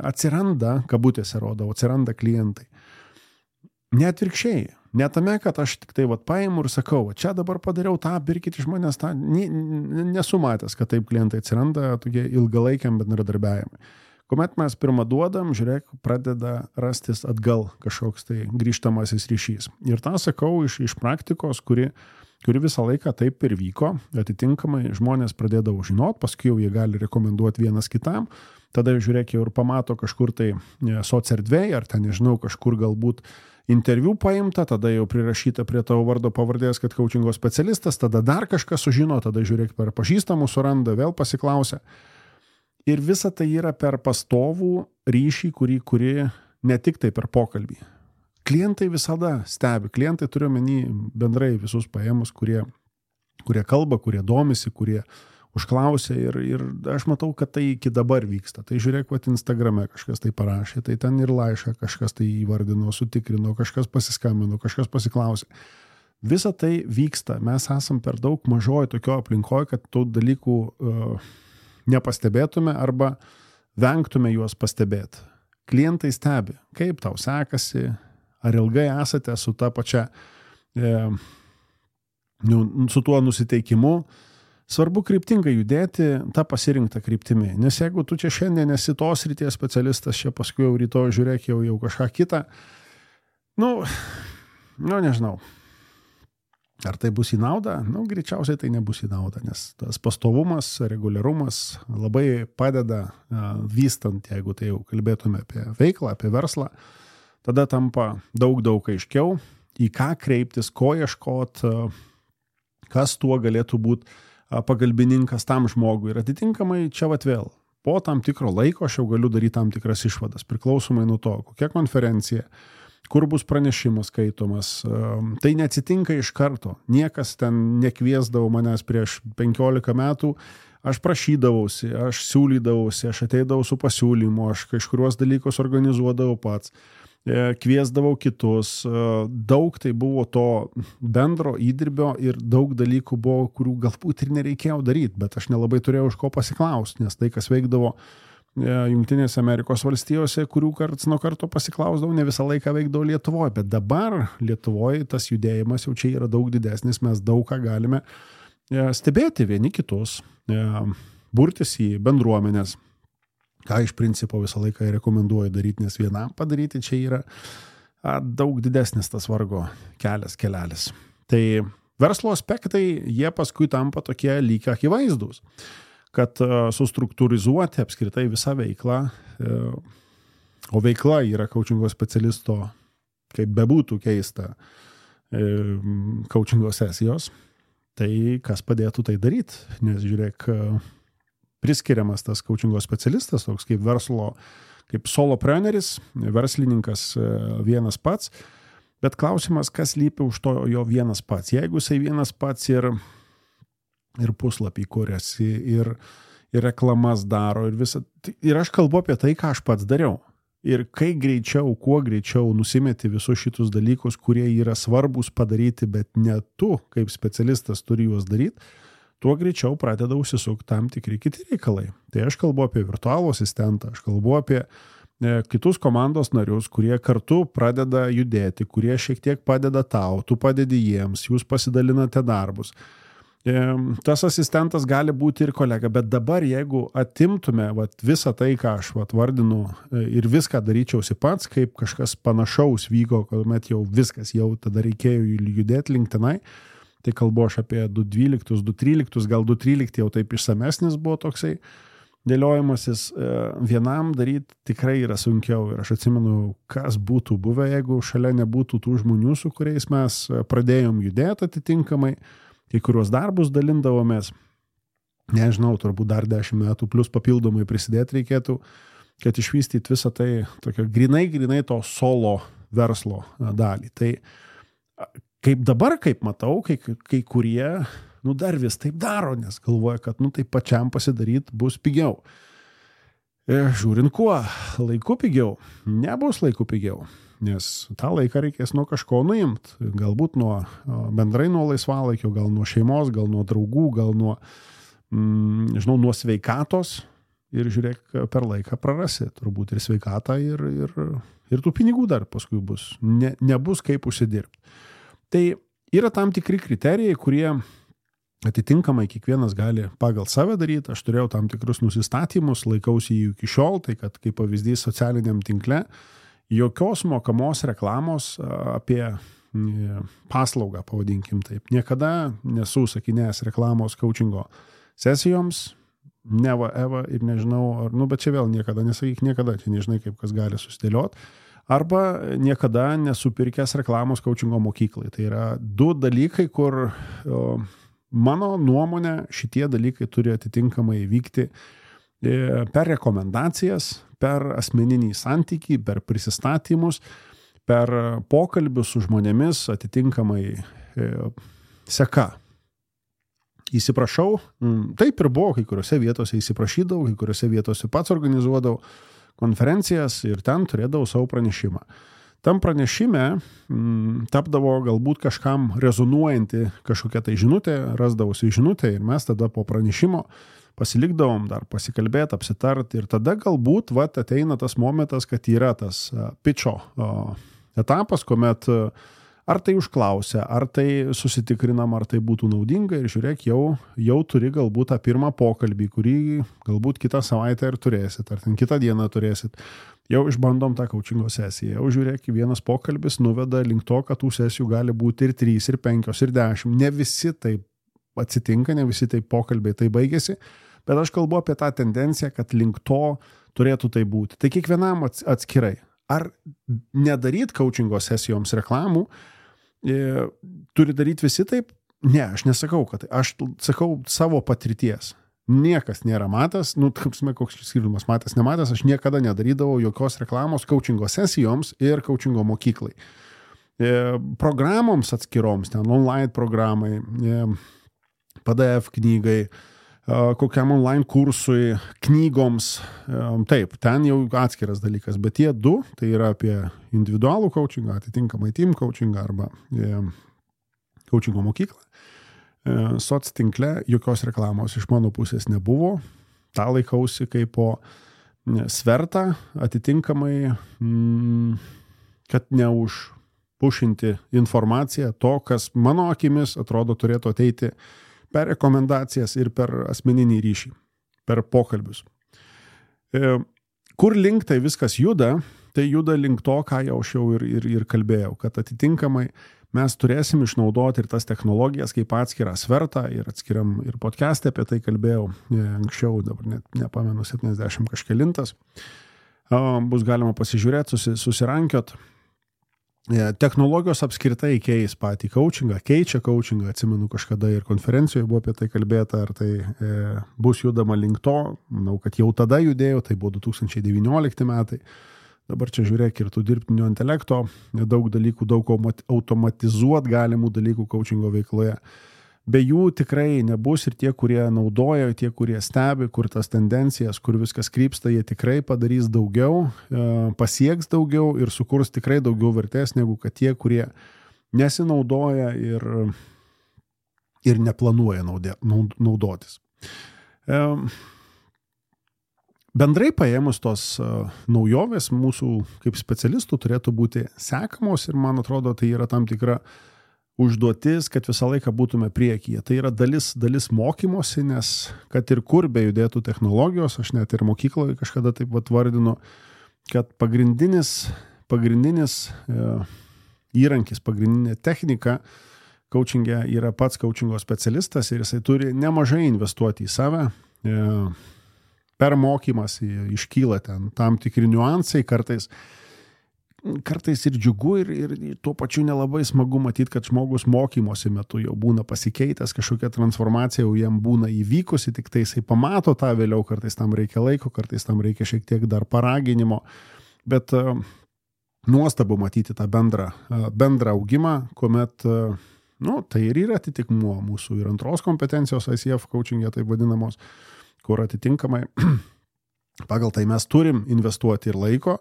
atsiranda, kabutėse rodau, atsiranda klientai. Net virkščiai. Ne tame, kad aš tik tai paimu ir sakau, čia dabar padariau tą, pirkit iš manęs tą. Nesu matęs, kad taip klientai atsiranda tokie ilgalaikiam bendradarbiavimai. Kuomet mes pirmą duodam, žiūrėk, pradeda rastis atgal kažkoks tai grįžtamasis ryšys. Ir tą sakau iš praktikos, kuri visą laiką taip ir vyko. Atitinkamai žmonės pradėdavo žinot, paskui jau jie gali rekomenduoti vienas kitam. Tada žiūrėk, jau ir pamato kažkur tai soc erdvėje, ar ten, nežinau, kažkur galbūt interviu paimta, tada jau prirašyta prie tavo vardo pavardės, kad coachingo specialistas, tada dar kažkas sužino, tada žiūrėk per pažįstamų suranda, vėl pasiklausia. Ir visa tai yra per pastovų ryšį, kurį ne tik tai per pokalbį. Klientai visada stebi, klientai turiu omeny bendrai visus paėmus, kurie kalba, kurie domisi, kurie užklausė ir aš matau, kad tai iki dabar vyksta. Tai žiūrėk, Instagrame kažkas tai parašė, tai ten ir laišką kažkas tai įvardino, sutikrino, kažkas pasiskambino, kažkas pasiklausė. Visa tai vyksta. Mes esam per daug mažoji tokio aplinkoje, kad tų dalykų nepastebėtume arba vengtume juos pastebėti. Klientai stebi, kaip tau sekasi, ar ilgai esate su ta pačia, su tuo nusiteikimu. Svarbu kryptingai judėti tą pasirinktą kryptimį, nes jeigu tu čia šiandien esi tos ryties specialistas, čia paskui jau rytoj žiūrėk jau kažką kitą, nežinau, ar tai bus į naudą, greičiausiai tai nebus į naudą, nes tas pastovumas, reguliarumas labai padeda vystant, jeigu tai jau kalbėtume apie veiklą, apie verslą, tada tampa daug aiškiau, į ką kreiptis, ko ieškot, kas tuo galėtų būti pagalbininkas tam žmogui. Ir atitinkamai čia vėl, po tam tikro laiko aš jau galiu daryti tam tikras išvadas, priklausomai nuo to, kokia konferencija, kur bus pranešimas skaitomas. Tai neatsitinka iš karto. Niekas ten nekviesdavo manęs prieš 15 metų aš prašydavausi, aš siūlydavausi, aš ateidavau su pasiūlymu, aš kažkuriuos dalykus organizuodavau pats, kviesdavau kitus, daug tai buvo to bendro įdirbio ir daug dalykų buvo, kurių galbūt ir nereikėjo daryti, bet aš nelabai turėjau iš ko pasiklausti, nes tai, kas veikdavo Jungtinėse Amerikos valstijose, kurių karts nuo karto pasiklausdavau, ne visą laiką veikdavo Lietuvoje, bet dabar Lietuvoje tas judėjimas jau čia yra daug didesnis, mes daug ką galime stebėti vieni kitus, burtis į bendruomenės, ką iš principo visą laiką rekomenduoju daryti, nes vienam padaryti čia yra daug didesnis tas vargo kelelis. Tai verslo aspektai, jie paskui tampa tokie lyg akivaizdūs, kad sustruktūrizuoti apskritai visą veiklą, o veikla yra coachingo specialisto, kaip bebūtų keista, coachingo sesijos, tai kas padėtų tai daryti, nes žiūrėk, priskiriamas tas coachingo specialistas, toks kaip verslo, kaip solopreneris, verslininkas vienas pats, bet klausimas, kas lypi už to jo vienas pats. Jeigu jisai vienas pats ir puslapį kuriasi, ir reklamas daro, ir aš kalbu apie tai, ką aš pats dariau. Ir kuo greičiau nusimeti visus šitus dalykus, kurie yra svarbus padaryti, bet ne tu, kaip specialistas, turi juos daryti, tuo greičiau pradeda užsisukti tam tikri kiti reikalai. Tai aš kalbu apie virtualų asistentą, aš kalbu apie kitus komandos narius, kurie kartu pradeda judėti, kurie šiek tiek padeda tau, tu padedi jiems, jūs pasidalinate darbus. Tas asistentas gali būti ir kolega, bet dabar jeigu atimtume visą tai, ką aš vardinu ir viską daryčiausi pats, kaip kažkas panašaus vyko, kuomet jau viskas, jau tada reikėjo judėti link tenai, tai kalbu aš apie 2012, 2013, gal 2013 jau taip išsamesnis buvo toksai dėliojimasis, vienam daryti tikrai yra sunkiau ir aš atsimenu, kas būtų buvę, jeigu šalia nebūtų tų žmonių, su kuriais mes pradėjom judėti atitinkamai, kai kuriuos darbus dalindavomės, nežinau, turbūt dar 10 metų, plus papildomai prisidėti reikėtų, kad išvystyti visą tai tokio grinai to solo verslo dalį. Tai kaip dabar, kaip matau, kai kurie, dar vis taip daro, nes galvoja, kad taip pačiam pasidaryti bus pigiau. Žiūrint kuo, laiku pigiau, nebus laiku pigiau. Nes tą laiką reikės nuo kažko nuimti, galbūt bendrai nuo laisvalaikio, gal nuo šeimos, gal nuo draugų, gal nuo sveikatos ir žiūrėk, per laiką prarasi, turbūt ir sveikatą ir tų pinigų dar paskui bus, nebus kaip užsidirbti. Tai yra tam tikri kriterijai, kurie atitinkamai kiekvienas gali pagal save daryti, aš turėjau tam tikrus nusistatymus, laikausi jų iki šiol, tai kad kaip pavyzdys socialiniam tinkle, jokios mokamos reklamos apie paslaugą, pavadinkim taip. Niekada nesu sakinėjęs reklamos coachingo sesijoms, Eva ir nežinau, bet čia vėl niekada, nesakyk niekada, čia nežinai, kaip kas gali susidėlioti. Arba niekada nesupirkęs reklamos coachingo mokyklai. Tai yra 2 dalykai, kur mano nuomonė šitie dalykai turi atitinkamai vykti per rekomendacijas, per asmeninį santykį, per prisistatymus, per pokalbius su žmonėmis atitinkamai seka. Įsiprašau, taip ir buvo, kai kuriuose vietose įsiprašydavau, kai kuriuose vietose pats organizuodavau konferencijas ir ten turėdavau savo pranešimą. Tam pranešime tapdavo galbūt kažkam rezonuojanti kažkokia tai žinutė, rasdavosi žinutė ir mes tada po pranešimo pasilikdavom dar pasikalbėti, apsitarti ir tada galbūt ateina tas momentas, kad yra tas pitcho etapas, kuomet ar tai užklausia, ar tai susitikrinam, ar tai būtų naudinga ir žiūrėk, jau turi galbūt tą pirmą pokalbį, kurį galbūt kitą savaitę ir turėsit, ar ten kitą dieną turėsit. Jau išbandom tą coachingo sesiją, jau žiūrėk, vienas pokalbis nuveda link to, kad tų sesijų gali būti ir 3, ir 5, ir 10. Ne visi taip atsitinka, ne visi taip pokalbiai tai baigėsi, bet aš kalbu apie tą tendenciją, kad link to turėtų tai būti. Tai kiekvienam atskirai. Ar nedaryt coachingo sesijoms reklamų, turi daryti visi taip? Ne, aš nesakau, kad aš sakau savo patirties. Niekas nėra matęs, koks skirtumas matęs, nematęs, aš niekada nedarydavau jokios reklamos coachingo sesijoms ir coachingo mokyklai. Programoms atskiroms, ten online programai, PDF knygai, kokiam online kursui, knygoms, taip, ten jau atskiras dalykas, bet tie du, tai yra apie individualų coachingą, atitinkamai team coachingą arba coachingo mokyklą. Soc tinkle jokios reklamos iš mano pusės nebuvo, tą laikausi kaip po svertą, atitinkamai, kad neužpušinti informaciją to, kas mano akimis atrodo turėtų ateiti per rekomendacijas ir per asmeninį ryšį, per pokalbius. Kur link tai viskas juda, tai juda link to, ką jau aš jau ir kalbėjau, kad atitinkamai mes turėsim išnaudoti ir tas technologijas kaip atskirą svertą ir atskiriam ir podcast'e apie tai kalbėjau anksčiau, dabar net nepamenu 70 kažkelintas. Bus galima pasižiūrėti, susirankiot. Technologijos apskritai keis patį coachingą, keičia coachingą, atsimenu kažkada ir konferencijoje buvo apie tai kalbėta, ar tai bus judama link to, manau, kad jau tada judėjo, tai buvo 2019 metai. Dabar čia žiūrėk ir tų dirbtinio intelekto, daug dalykų, daug automatizuot galimų dalykų coachingo veikloje. Be jų tikrai nebus ir tie, kurie naudoja, tie, kurie stebi, kur tas tendencijas, kur viskas krypsta, jie tikrai padarys daugiau, pasieks daugiau ir sukurs tikrai daugiau vertės, negu kad tie, kurie nesinaudoja ir neplanuoja naudotis. Bendrai paėmus tos naujovės mūsų kaip specialistų turėtų būti sekamos ir man atrodo tai yra tam tikra užduotis, kad visą laiką būtume priekyje. Tai yra dalis mokymosi, nes kad ir kur bejudėtų technologijos, aš net ir mokykloje kažkada taip vardinu, kad pagrindinis įrankis, pagrindinė technika coachingė yra pats coachingo specialistas ir jisai turi nemažai investuoti į save. Per mokymas iškyla ten tam tikri niuansai, kartais ir džiugu ir tuo pačiu nelabai smagu matyti, kad žmogus mokymosi metu jau būna pasikeitęs, kažkokia transformacija jau jam būna įvykusi, tik tai jisai pamato tą vėliau, kartais tam reikia laiko, kartais tam reikia šiek tiek dar paraginimo, bet nuostabu matyti tą bendrą augimą, kuomet, tai ir yra atitikmuo mūsų ir antros kompetencijos ICF coachingė, taip vadinamos, kur atitinkamai pagal tai mes turim investuoti ir laiko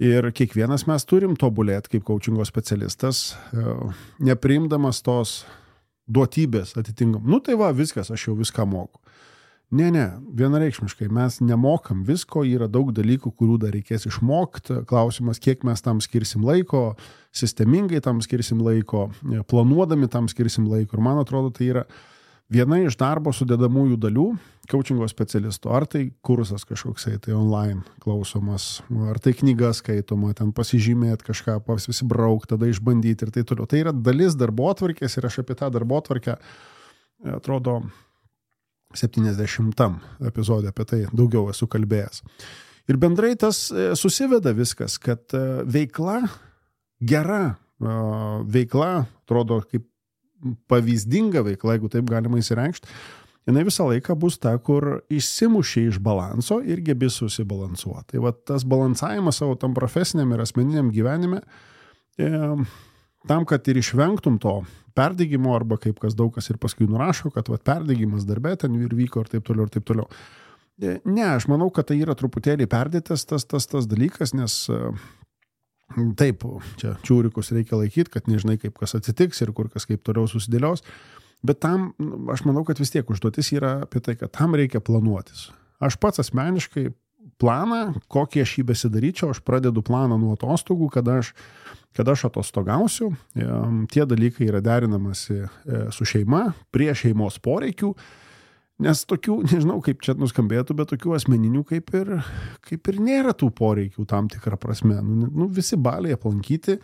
ir kiekvienas mes turim tobulėti kaip coachingo specialistas, nepriimdamas tos duotybės atitinkam. Tai va, viskas, aš jau viską moku. Ne, vienareikšmiškai mes nemokam visko, yra daug dalykų, kurių dar reikės išmokti. Klausimas, kiek mes tam skirsim laiko, sistemingai tam skirsim laiko, planuodami tam skirsim laiko. Ir man atrodo, tai yra viena iš darbo sudedamųjų dalių coachingo specialisto. Ar tai kursas kažkoksai, tai online klausomas, ar tai knyga skaitoma, ten pasižymėti kažką, pasibraukti, tada išbandyti ir tai toliau. Tai yra dalis darbotvarkės ir aš apie tą darbotvarkę, atrodo, 70 epizode apie tai daugiau esu kalbėjęs. Ir bendrai tas susiveda viskas, kad veikla, gera veikla, atrodo kaip pavyzdinga veikla, jeigu taip galima įsireikšti, jinai visą laiką bus ta, kur išsimuši iš balanso ir gebi susibalansuoti. Tai va tas balansavimas savo tam profesiniam ir asmeniniam gyvenime, tam, kad ir išvengtum to perdegimo, arba kaip daug kas ir paskui nurašo, kad va, perdegimas darbe ten ir vyko ir taip toliau ir taip toliau. Ne, aš manau, kad tai yra truputėlį perdėtas tas dalykas, nes taip, čia čiūrikus reikia laikyti, kad nežinai, kaip kas atsitiks ir kur kas kaip toliau susidėlios, bet tam, aš manau, kad vis tiek užduotis yra apie tai, kad tam reikia planuotis. Aš pats asmeniškai planą, kokį aš jį besidaryčiau, aš pradedu planą nuo atostogų, kada aš atostogausiu, tie dalykai yra derinamasi su šeima, prie šeimos poreikių, nes tokių, nežinau kaip čia nuskambėtų, bet tokių asmeninių kaip ir nėra tų poreikių tam tikrą prasme. Visi baliai aplankyti,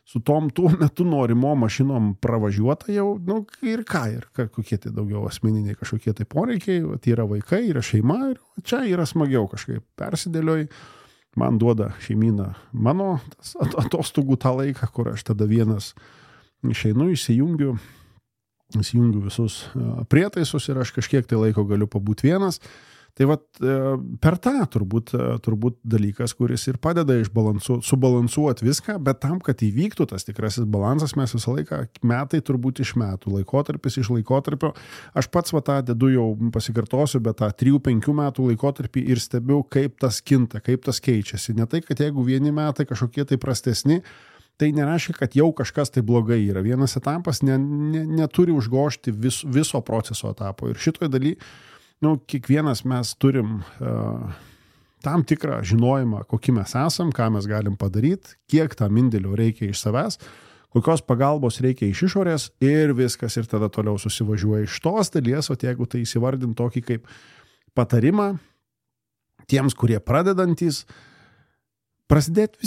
su tom tuo metu norimo mašinom pravažiuota jau, ir kokie tai daugiau asmeniniai kažkokie tai poreikiai, tai yra vaikai, yra šeima ir čia yra smagiau kažkaip persidėlioj, man duoda šeimyna mano atostogų tą laiką, kur aš tada vienas išeinu, įsijungiu visus prietaisus ir aš kažkiek tai laiko galiu pabūti vienas. Tai vat per tą turbūt dalykas, kuris ir padeda subalansuoti viską, bet tam, kad įvyktų tas tikrasis balansas, mes visą laiką metai turbūt iš metų, laikotarpis iš laikotarpio. Aš pats tą dedu jau pasikartosiu, bet tą 3-5 metų laikotarpį ir stebiu, kaip tas kinta, kaip tas keičiasi. Ne tai, kad jeigu vieni metai kažkokie tai prastesni, tai nereiškia, kad jau kažkas tai blogai yra. Vienas etapas neturi užgožti viso proceso etapo. Ir šitoj daly kiekvienas mes turim tam tikrą žinojimą, kokį mes esam, ką mes galim padaryti, kiek tam indėlio reikia iš savęs, kokios pagalbos reikia iš išorės ir viskas, ir tada toliau susivažiuoja iš tos dalies, o jeigu tai įsivardint tokį kaip patarimą tiems, kurie pradedantys, pradėti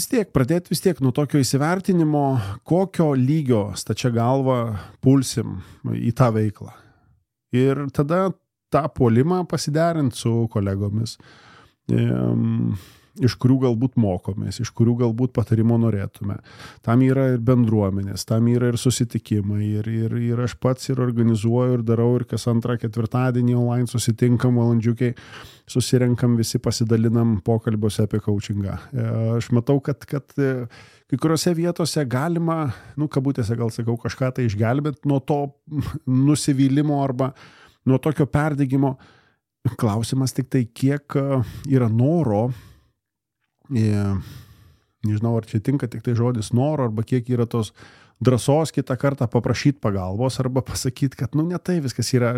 vis tiek nuo tokio įsivertinimo, kokio lygio stačia galva pulsim į tą veiklą. Ir tada tą puolimą pasiderinti su kolegomis, iš kurių galbūt mokomės, iš kurių galbūt patarimo norėtume. Tam yra ir bendruomenės, tam yra ir susitikimai, ir aš pats ir organizuoju, ir darau, ir kas 2 ketvirtadienį online susitinkam, valandžiukiai, susirenkam, visi pasidalinam pokalbiuose apie coachingą. Aš matau, kad kai kuriuose vietose galima, kabutėse gal sakau, kažką tai išgelbėti nuo to nusivylimo arba nuo tokio perdegimo. Klausimas tik tai, kiek yra noro, nežinau, ar čia tinka tik tai žodis noro, arba kiek yra tos drąsos kitą kartą paprašyti pagalbos, arba pasakyti, kad ne tai viskas yra.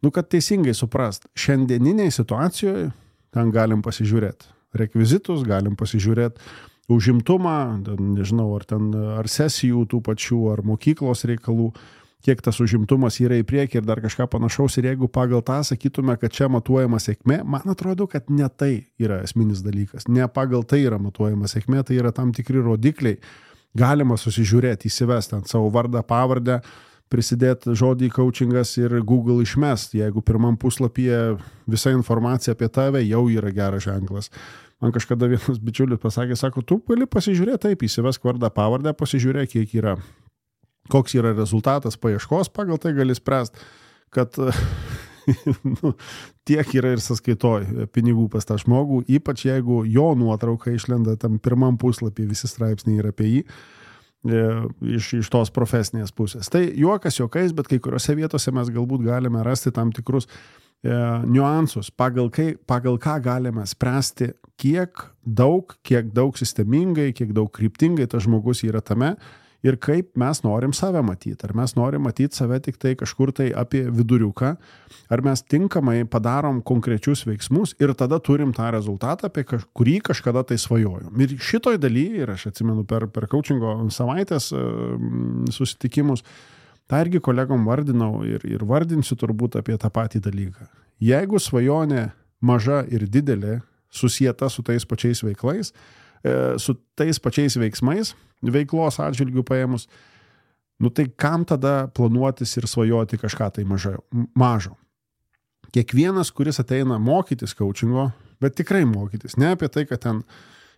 Kad teisingai suprast, šiandieniniai situacijoje ten galim pasižiūrėti rekvizitus, galim pasižiūrėti užimtumą, nežinau, ar sesijų tų pačių, ar mokyklos reikalų, kiek tas užimtumas yra į priekį ir dar kažką panašaus. Ir jeigu pagal tą sakytume, kad čia matuojama sėkmė, man atrodo, kad ne tai yra esminis dalykas. Ne pagal tai yra matuojama sėkmė, tai yra tam tikri rodikliai. Galima susižiūrėti, įsivesti ant savo vardą, pavardę, prisidėti žodį coachingas ir Google išmest. Jeigu pirmam puslapyje visa informacija apie tave, jau yra geras ženklas. Man kažkada vienas bičiulis pasakė, sako, tu gali pasižiūrėti taip, įsivesk vardą, pavardę, pasižiūrėk, kiek yra. Koks yra rezultatas paieškos, pagal tai gali spręsti, kad tiek yra ir sąskaitoj pinigų pas tą žmogų, ypač jeigu jo nuotrauka išlenda tam pirmam puslapį, visi straipsniai yra apie jį, iš tos profesinės pusės. Tai juokas juokais, bet kai kuriuose vietose mes galbūt galime rasti tam tikrus niuansus, pagal ką galime spręsti, kiek daug sistemingai, kiek daug kryptingai tas žmogus yra tame, ir kaip mes norim save matyti. Ar mes norim matyti save tik tai kažkur tai apie viduriuką, ar mes tinkamai padarom konkrečius veiksmus ir tada turim tą rezultatą, apie kurį kažkada tai svajojom. Ir šitoj daly, ir aš atsimenu per coachingo savaitės susitikimus, tą irgi kolegom vardinau ir vardinsiu turbūt apie tą patį dalyką. Jeigu svajonė maža ir didelė, susieta su tais pačiais veiklais, su tais pačiais veiksmais, veiklos atžvilgių paėmus, tai kam tada planuotis ir svajoti kažką tai mažo? Kiekvienas, kuris ateina mokytis coachingo, bet tikrai mokytis, ne apie tai, kad ten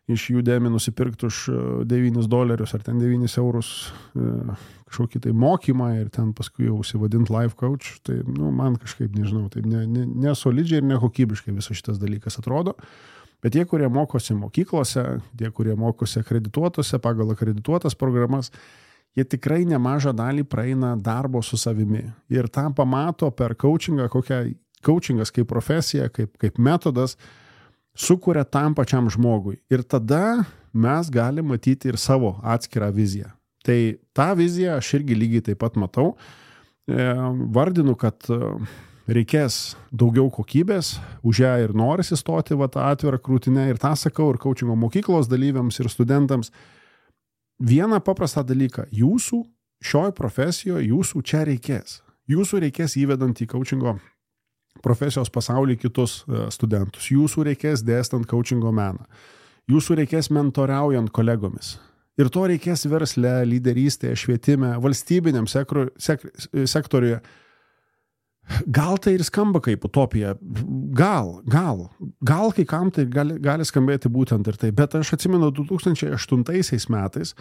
iš Udemy nusipirkti už $9 ar ten 9 eurus kažkokį tai mokymą ir ten paskui jau užsivadinti life coach, tai man kažkaip, nežinau, taip nesolidžiai ir nekokybiškai visas šitas dalykas atrodo. Bet tie, kurie mokosi mokyklose, tie, kurie mokosi akredituotose, pagal akredituotas programas, jie tikrai nemažą dalį praeina darbo su savimi. Ir tą pamato per coachingą, kokia coachingas kaip profesija, kaip metodas, sukuria tam pačiam žmogui. Ir tada mes galime matyti ir savo atskirą viziją. Tai tą viziją aš irgi lygiai taip pat matau. Vardinu, kad reikės daugiau kokybės, už ją ir norisi stoti tą atvirą krūtinę, ir tą sakau ir coachingo mokyklos dalyviams ir studentams. Vieną paprastą dalyką, jūsų šioj profesijoje, jūsų čia reikės. Jūsų reikės įvedant į coachingo profesijos pasaulį kitus studentus. Jūsų reikės dėstant coachingo meną. Jūsų reikės mentoriaujant kolegomis. Ir to reikės versle, lyderystėje, švietime, valstybiniam sektoriuje. Gal tai ir skamba kaip utopija, gal kai kam tai gali skambėti būtent ir tai, bet aš atsimenu 2008 metais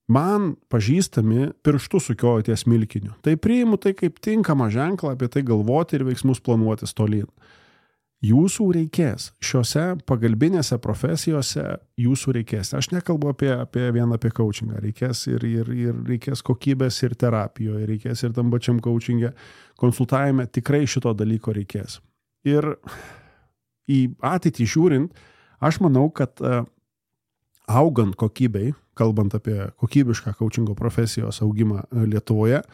man pažįstami pirštų sukiojo ties milkiniu. Tai priimu tai kaip tinkamą ženklą apie tai galvoti ir veiksmus planuotis tolyn. Jūsų reikės. Šiuose pagalbinėse profesijose jūsų reikės. Aš nekalbu vien apie coachingą. Reikės ir reikės kokybės ir terapijoje, reikės ir tam pačiam coachingė, konsultavime. Tikrai šito dalyko reikės. Ir į ateitį žiūrint, aš manau, kad augant kokybei, kalbant apie kokybišką coachingo profesijos augimą Lietuvoje,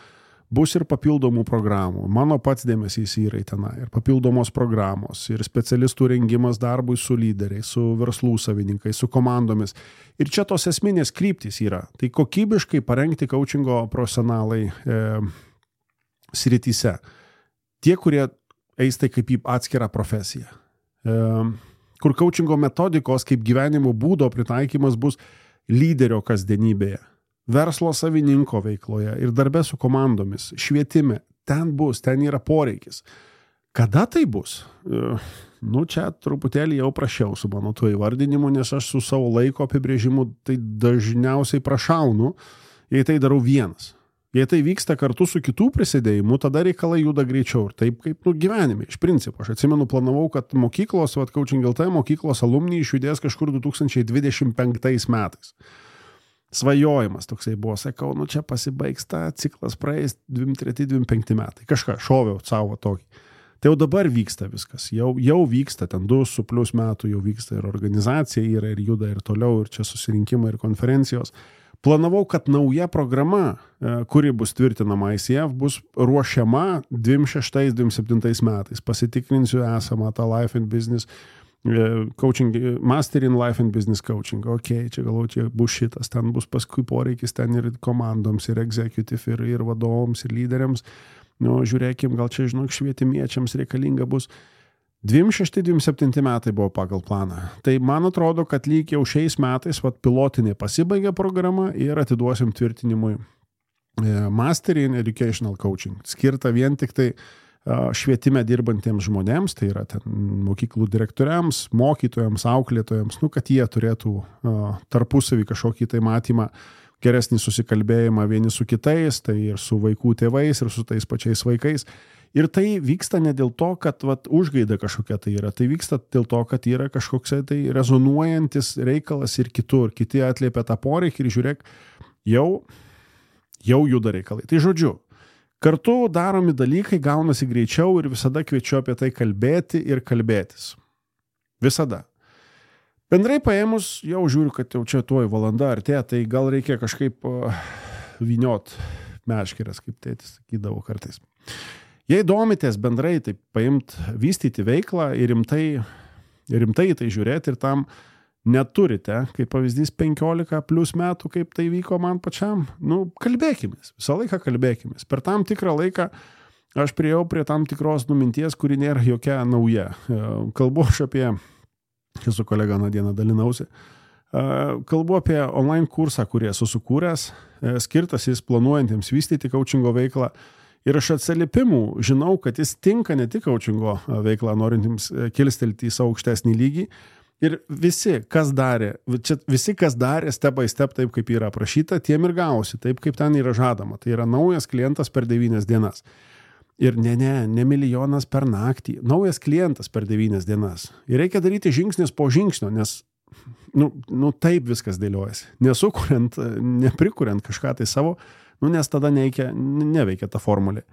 bus ir papildomų programų. Mano pats dėmesys yra į tenai. Ir papildomos programos, ir specialistų rengimas darbui su lyderiais, su verslų savininkais, su komandomis. Ir čia tos esminės kryptys yra. Tai kokybiškai parengti coachingo profesionalai srityse. Tie, kurie eis tai kaip į atskirą profesiją. Kur coachingo metodikos kaip gyvenimo būdo pritaikymas bus lyderio kasdienybėje. Verslo savininko veikloje ir darbe su komandomis, švietime, ten yra poreikis. Kada tai bus? Čia truputėlį jau prašiau su mano tuo įvardinimu, nes aš su savo laiko apibrėžimu tai dažniausiai prašaunu, jei tai darau vienas. Jei tai vyksta kartu su kitų prisidėjimu, tada reikalai juda greičiau ir taip kaip gyvenime. Iš principo, aš atsimenu, planavau, kad mokyklos, Coaching LT mokyklos alumni išjudės kažkur 2025 metais. Svajojimas toksai buvo, sakau, čia pasibaigs ta ciklas praeis 23-25 metai. Kažką šoviau savo tokį. Tai jau dabar vyksta viskas. Jau vyksta, ten 2+ metų jau vyksta ir organizacija yra, ir juda, ir toliau, ir čia susirinkimai, ir konferencijos. Planavau, kad nauja programa, kuri bus tvirtinama ICF, bus ruošiama 26-27 metais. Pasitikrinsiu esamą tą Life and Business coaching, Master in Life and Business Coaching. Čia galvoju, čia bus šitas, ten bus paskui poreikis ten ir komandoms, ir executive, ir vadovams, ir lyderiams. Žiūrėkim, gal čia, švietimiečiams reikalinga bus. 26-27 metai buvo pagal planą. Tai man atrodo, kad lyg jau šiais metais pilotinė pasibaigė programa ir atiduosim tvirtinimui Master in Educational Coaching. Skirta vien tik tai švietime dirbantiems žmonėms, tai yra ten mokyklų direktoriams, mokytojams, auklėtojams, kad jie turėtų tarpusavį kažkokį tai matymą, geresnį susikalbėjimą vieni su kitais, tai ir su vaikų tėvais, ir su tais pačiais vaikais. Ir tai vyksta ne dėl to, kad užgaida kažkokia tai yra, tai vyksta dėl to, kad yra kažkoks tai rezonuojantis reikalas ir kitur, kiti atliepia tą poreikį ir žiūrėk, jau juda reikalai. Tai žodžiu, kartu daromi dalykai gaunasi greičiau ir visada kviečiu apie tai kalbėti ir kalbėtis. Visada. Bendrai paėmus, jau žiūriu, kad jau čia tuoj valanda artėja, tai gal reikia kažkaip vyniot meškeres, kaip tėtis sakydavo kartais. Jei domitės bendrai, tai vystyti veiklą ir rimtai tai žiūrėti ir tam neturite, kaip pavyzdys 15+ metų, kaip tai vyko man pačiam, kalbėkimės, visą laiką kalbėkimės. Per tam tikrą laiką aš priėjau prie tam tikros minties, kuri nėra jokia nauja. Kalbu aš apie, su kolega dieną dalinausi, kalbu apie online kursą, kurį esu sukūręs, skirtas jis planuojantiems vystyti coachingo veiklą. Ir aš atsiliepimų žinau, kad jis tinka ne tik coachingo veiklą, norintiems kilstelti į savo aukštesnį lygį. Ir visi, kas darė step by step taip, kaip yra aprašyta, tiem ir gausi, taip, kaip ten yra žadama. Tai yra naujas klientas per 9 dienas. Ir ne milijonas per naktį. Naujas klientas per 9 dienas. Ir reikia daryti žingsnis po žingsnio, nes taip viskas dėliojasi. Neprikuriant kažką tai savo, nes tada neveikia ta formulė.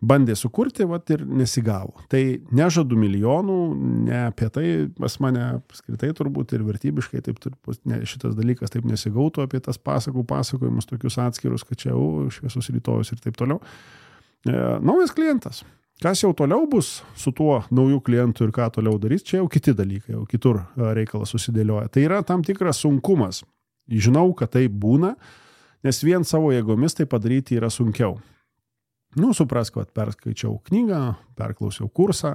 Bandė sukurti, ir nesigavo. Tai nežadu milijonų, ne apie tai pas mane apskritai turbūt ir vertybiškai taip šitas dalykas taip nesigautų apie tas pasakojimus tokius atskirus, kad čia šviesus rytojus ir taip toliau. Naujas klientas. Kas jau toliau bus su tuo naujų klientų ir ką toliau darys, čia jau kiti dalykai, jau kitur reikalas susidėlioja. Tai yra tam tikras sunkumas. Žinau, kad tai būna, nes vien savo jėgomis tai padaryti yra sunkiau. Suprask, kad perskaičiau knygą, perklausiau kursą,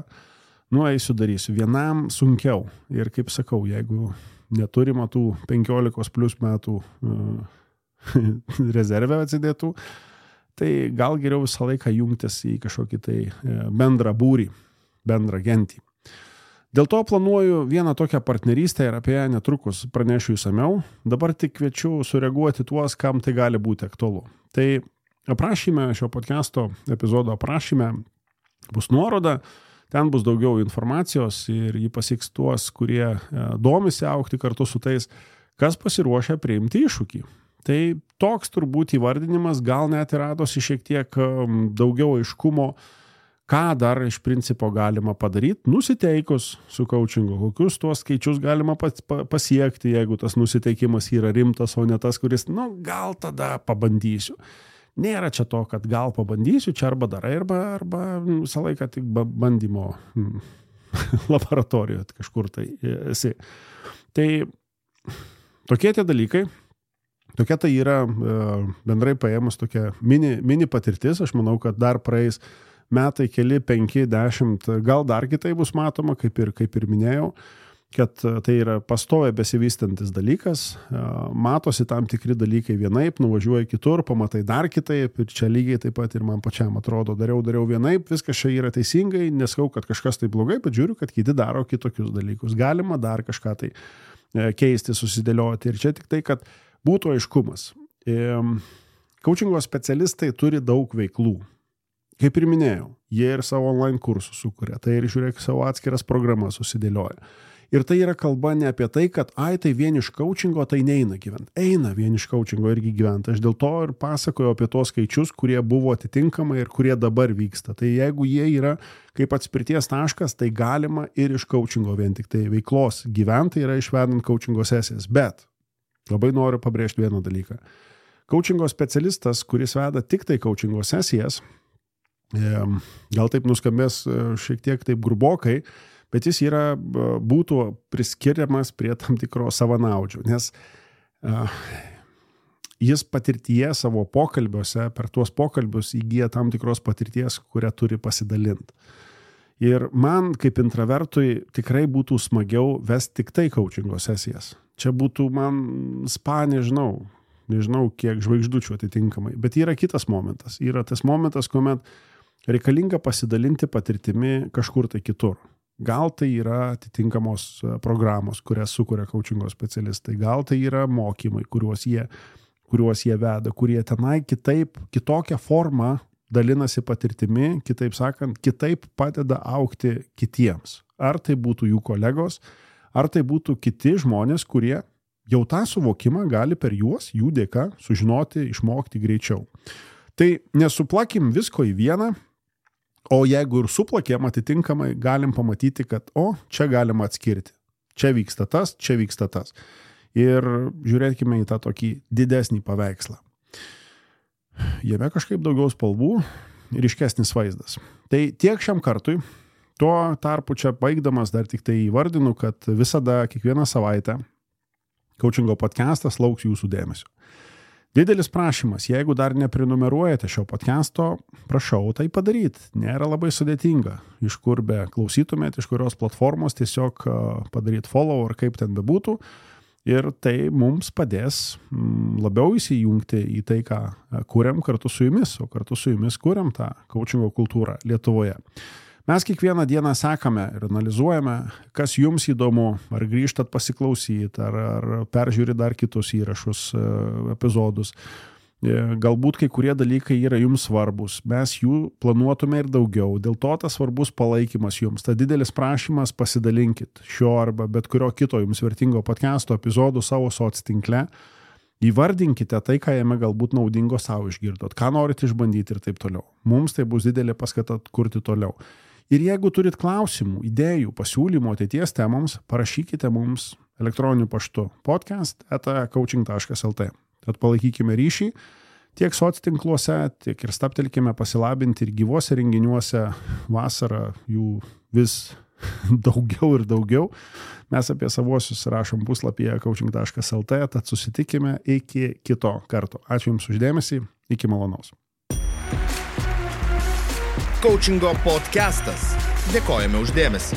eisiu darysiu. Vienam sunkiau. Ir kaip sakau, jeigu neturima tų 15+ metų rezervę atsidėtų, tai gal geriau visą laiką jungtis į kažkokį tai bendrą būrį, bendrą gentį. Dėl to planuoju vieną tokią partnerystę ir apie ją netrukus pranešiu išsamiau. Dabar tik kviečiu sureaguoti tuos, kam tai gali būti aktualu. Tai aprašyme, šio podcasto epizodo aprašyme bus nuoroda. ten bus daugiau informacijos ir jį pasieks tuos, kurie domisi augti kartu su tais, kas pasiruošia priimti iššūkį. Tai toks turbūt įvardinimas gal net ir radosi šiek tiek daugiau aiškumo, ką dar iš principo galima padaryti, nusiteikus su coachingu, kokius tuos skaičius galima pasiekti, jeigu tas nusiteikimas yra rimtas, o ne tas, kuris, gal tada pabandysiu. Nėra čia to, kad gal pabandysiu, čia arba darai, arba visą laiką tik bandymo laboratorijoje kažkur tai esi. Tai tokie tie dalykai, tokia tai yra bendrai paėmus tokia mini patirtis, aš manau, kad dar praeis metai, keli, 5, 10, gal dar kitai bus matoma, kaip ir minėjau, kad tai yra pastoviai besivystantis dalykas, matosi tam tikri dalykai vienaip, nuvažiuoja kitur, pamatai dar kitaip ir čia lygiai taip pat ir man pačiam atrodo, dariau vienaip, viskas čia yra teisingai, neskau, kad kažkas tai blogai, bet žiūriu, kad kiti daro kitokius dalykus, galima dar kažką tai keisti, susidėlioti ir čia tik tai, kad būtų aiškumas. Coachingo specialistai turi daug veiklų. Kaip ir minėjau, jie ir savo online kursus sukuria, tai ir žiūrėk savo atskiras programas susidėlioja. Ir tai yra kalba ne apie tai, kad tai vien iš coachingo tai neina gyventi. Eina vien iš coachingo irgi gyventi. Aš dėl to ir pasakoju apie tos skaičius, kurie buvo atitinkamai ir kurie dabar vyksta. Tai jeigu jie yra kaip atspirties taškas, tai galima ir iš coachingo vien tik tai veiklos gyventi yra išvedant coachingo sesijas. Bet labai noriu pabrėžti vieną dalyką. Coachingo specialistas, kuris veda tik tai coachingo sesijas, gal taip nuskambės šiek tiek taip grubokai, bet jis būtų priskiriamas prie tam tikro savanaudžių, nes jis patirtyje savo pokalbiuose, per tuos pokalbius įgyja tam tikros patirties, kurią turi pasidalinti. Ir man kaip intravertui tikrai būtų smagiau vesti tik tai coachingo sesijas. Čia būtų man spa, nežinau kiek žvaigždučių atitinkamai, bet yra kitas momentas. Yra tas momentas, kuomet reikalinga pasidalinti patirtimi kažkur tai kitur. Gal tai yra atitinkamos programos, kurias sukuria coachingo specialistai. Gal tai yra mokymai, kuriuos jie veda, kurie tenai kitokią formą dalinasi patirtimi, kitaip sakant, kitaip padeda augti kitiems. Ar tai būtų jų kolegos, ar tai būtų kiti žmonės, kurie jau tą suvokimą gali per juos, jų dėka, sužinoti, išmokti greičiau. Tai nesuplakim visko į vieną, o jeigu ir suplakėm atitinkamai, galim pamatyti, kad čia galima atskirti. Čia vyksta tas, čia vyksta tas. Ir žiūrėkime į tą tokį didesnį paveikslą. Jame kažkaip daugiau spalvų ir ryškesnis vaizdas. Tai tiek šiam kartui. Tuo tarpu čia baigdamas dar tik tai įvardinu, kad visada, kiekvieną savaitę coachingo podcastas lauks jūsų dėmesio. Didelis prašymas, jeigu dar neprenumeruojate šio podcasto, prašau tai padaryti. Nėra labai sudėtinga. Iš kur be klausytumėt, iš kurios platformos tiesiog padaryti follow ar kaip ten bebūtų. Ir tai mums padės labiau įsijungti į tai, ką kuriam kartu su jumis, o kartu su jumis kuriam tą coachingo kultūrą Lietuvoje. Mes kiekvieną dieną sekame ir analizuojame, kas jums įdomu, ar grįžtat pasiklausyti, ar peržiūri dar kitus įrašus, epizodus. Galbūt kai kurie dalykai yra jums svarbus, mes jų planuotume ir daugiau, dėl to tas svarbus palaikymas jums, ta didelis prašymas pasidalinkit šio arba bet kurio kito jums vertingo podcasto epizodų savo soctinkle, įvardinkite tai, ką jame galbūt naudingo savo išgirdot, ką norit išbandyti ir taip toliau. Mums tai bus didelė paskata kurti toliau. Ir jeigu turit klausimų, idėjų, pasiūlymų ateities temoms, parašykite mums elektroniniu paštu podcast@coaching.lt. Tad palaikykime ryšį tiek soctinkluose, tiek ir staptelkime pasilabinti ir gyvuose renginiuose. Vasarą jų vis daugiau ir daugiau. Mes apie savuosius rašom puslapyje coaching.lt, tad susitikime iki kito karto. Ačiū Jums už dėmesį, iki malonaus. Coachingo podcastas. Dėkojame už dėmesį.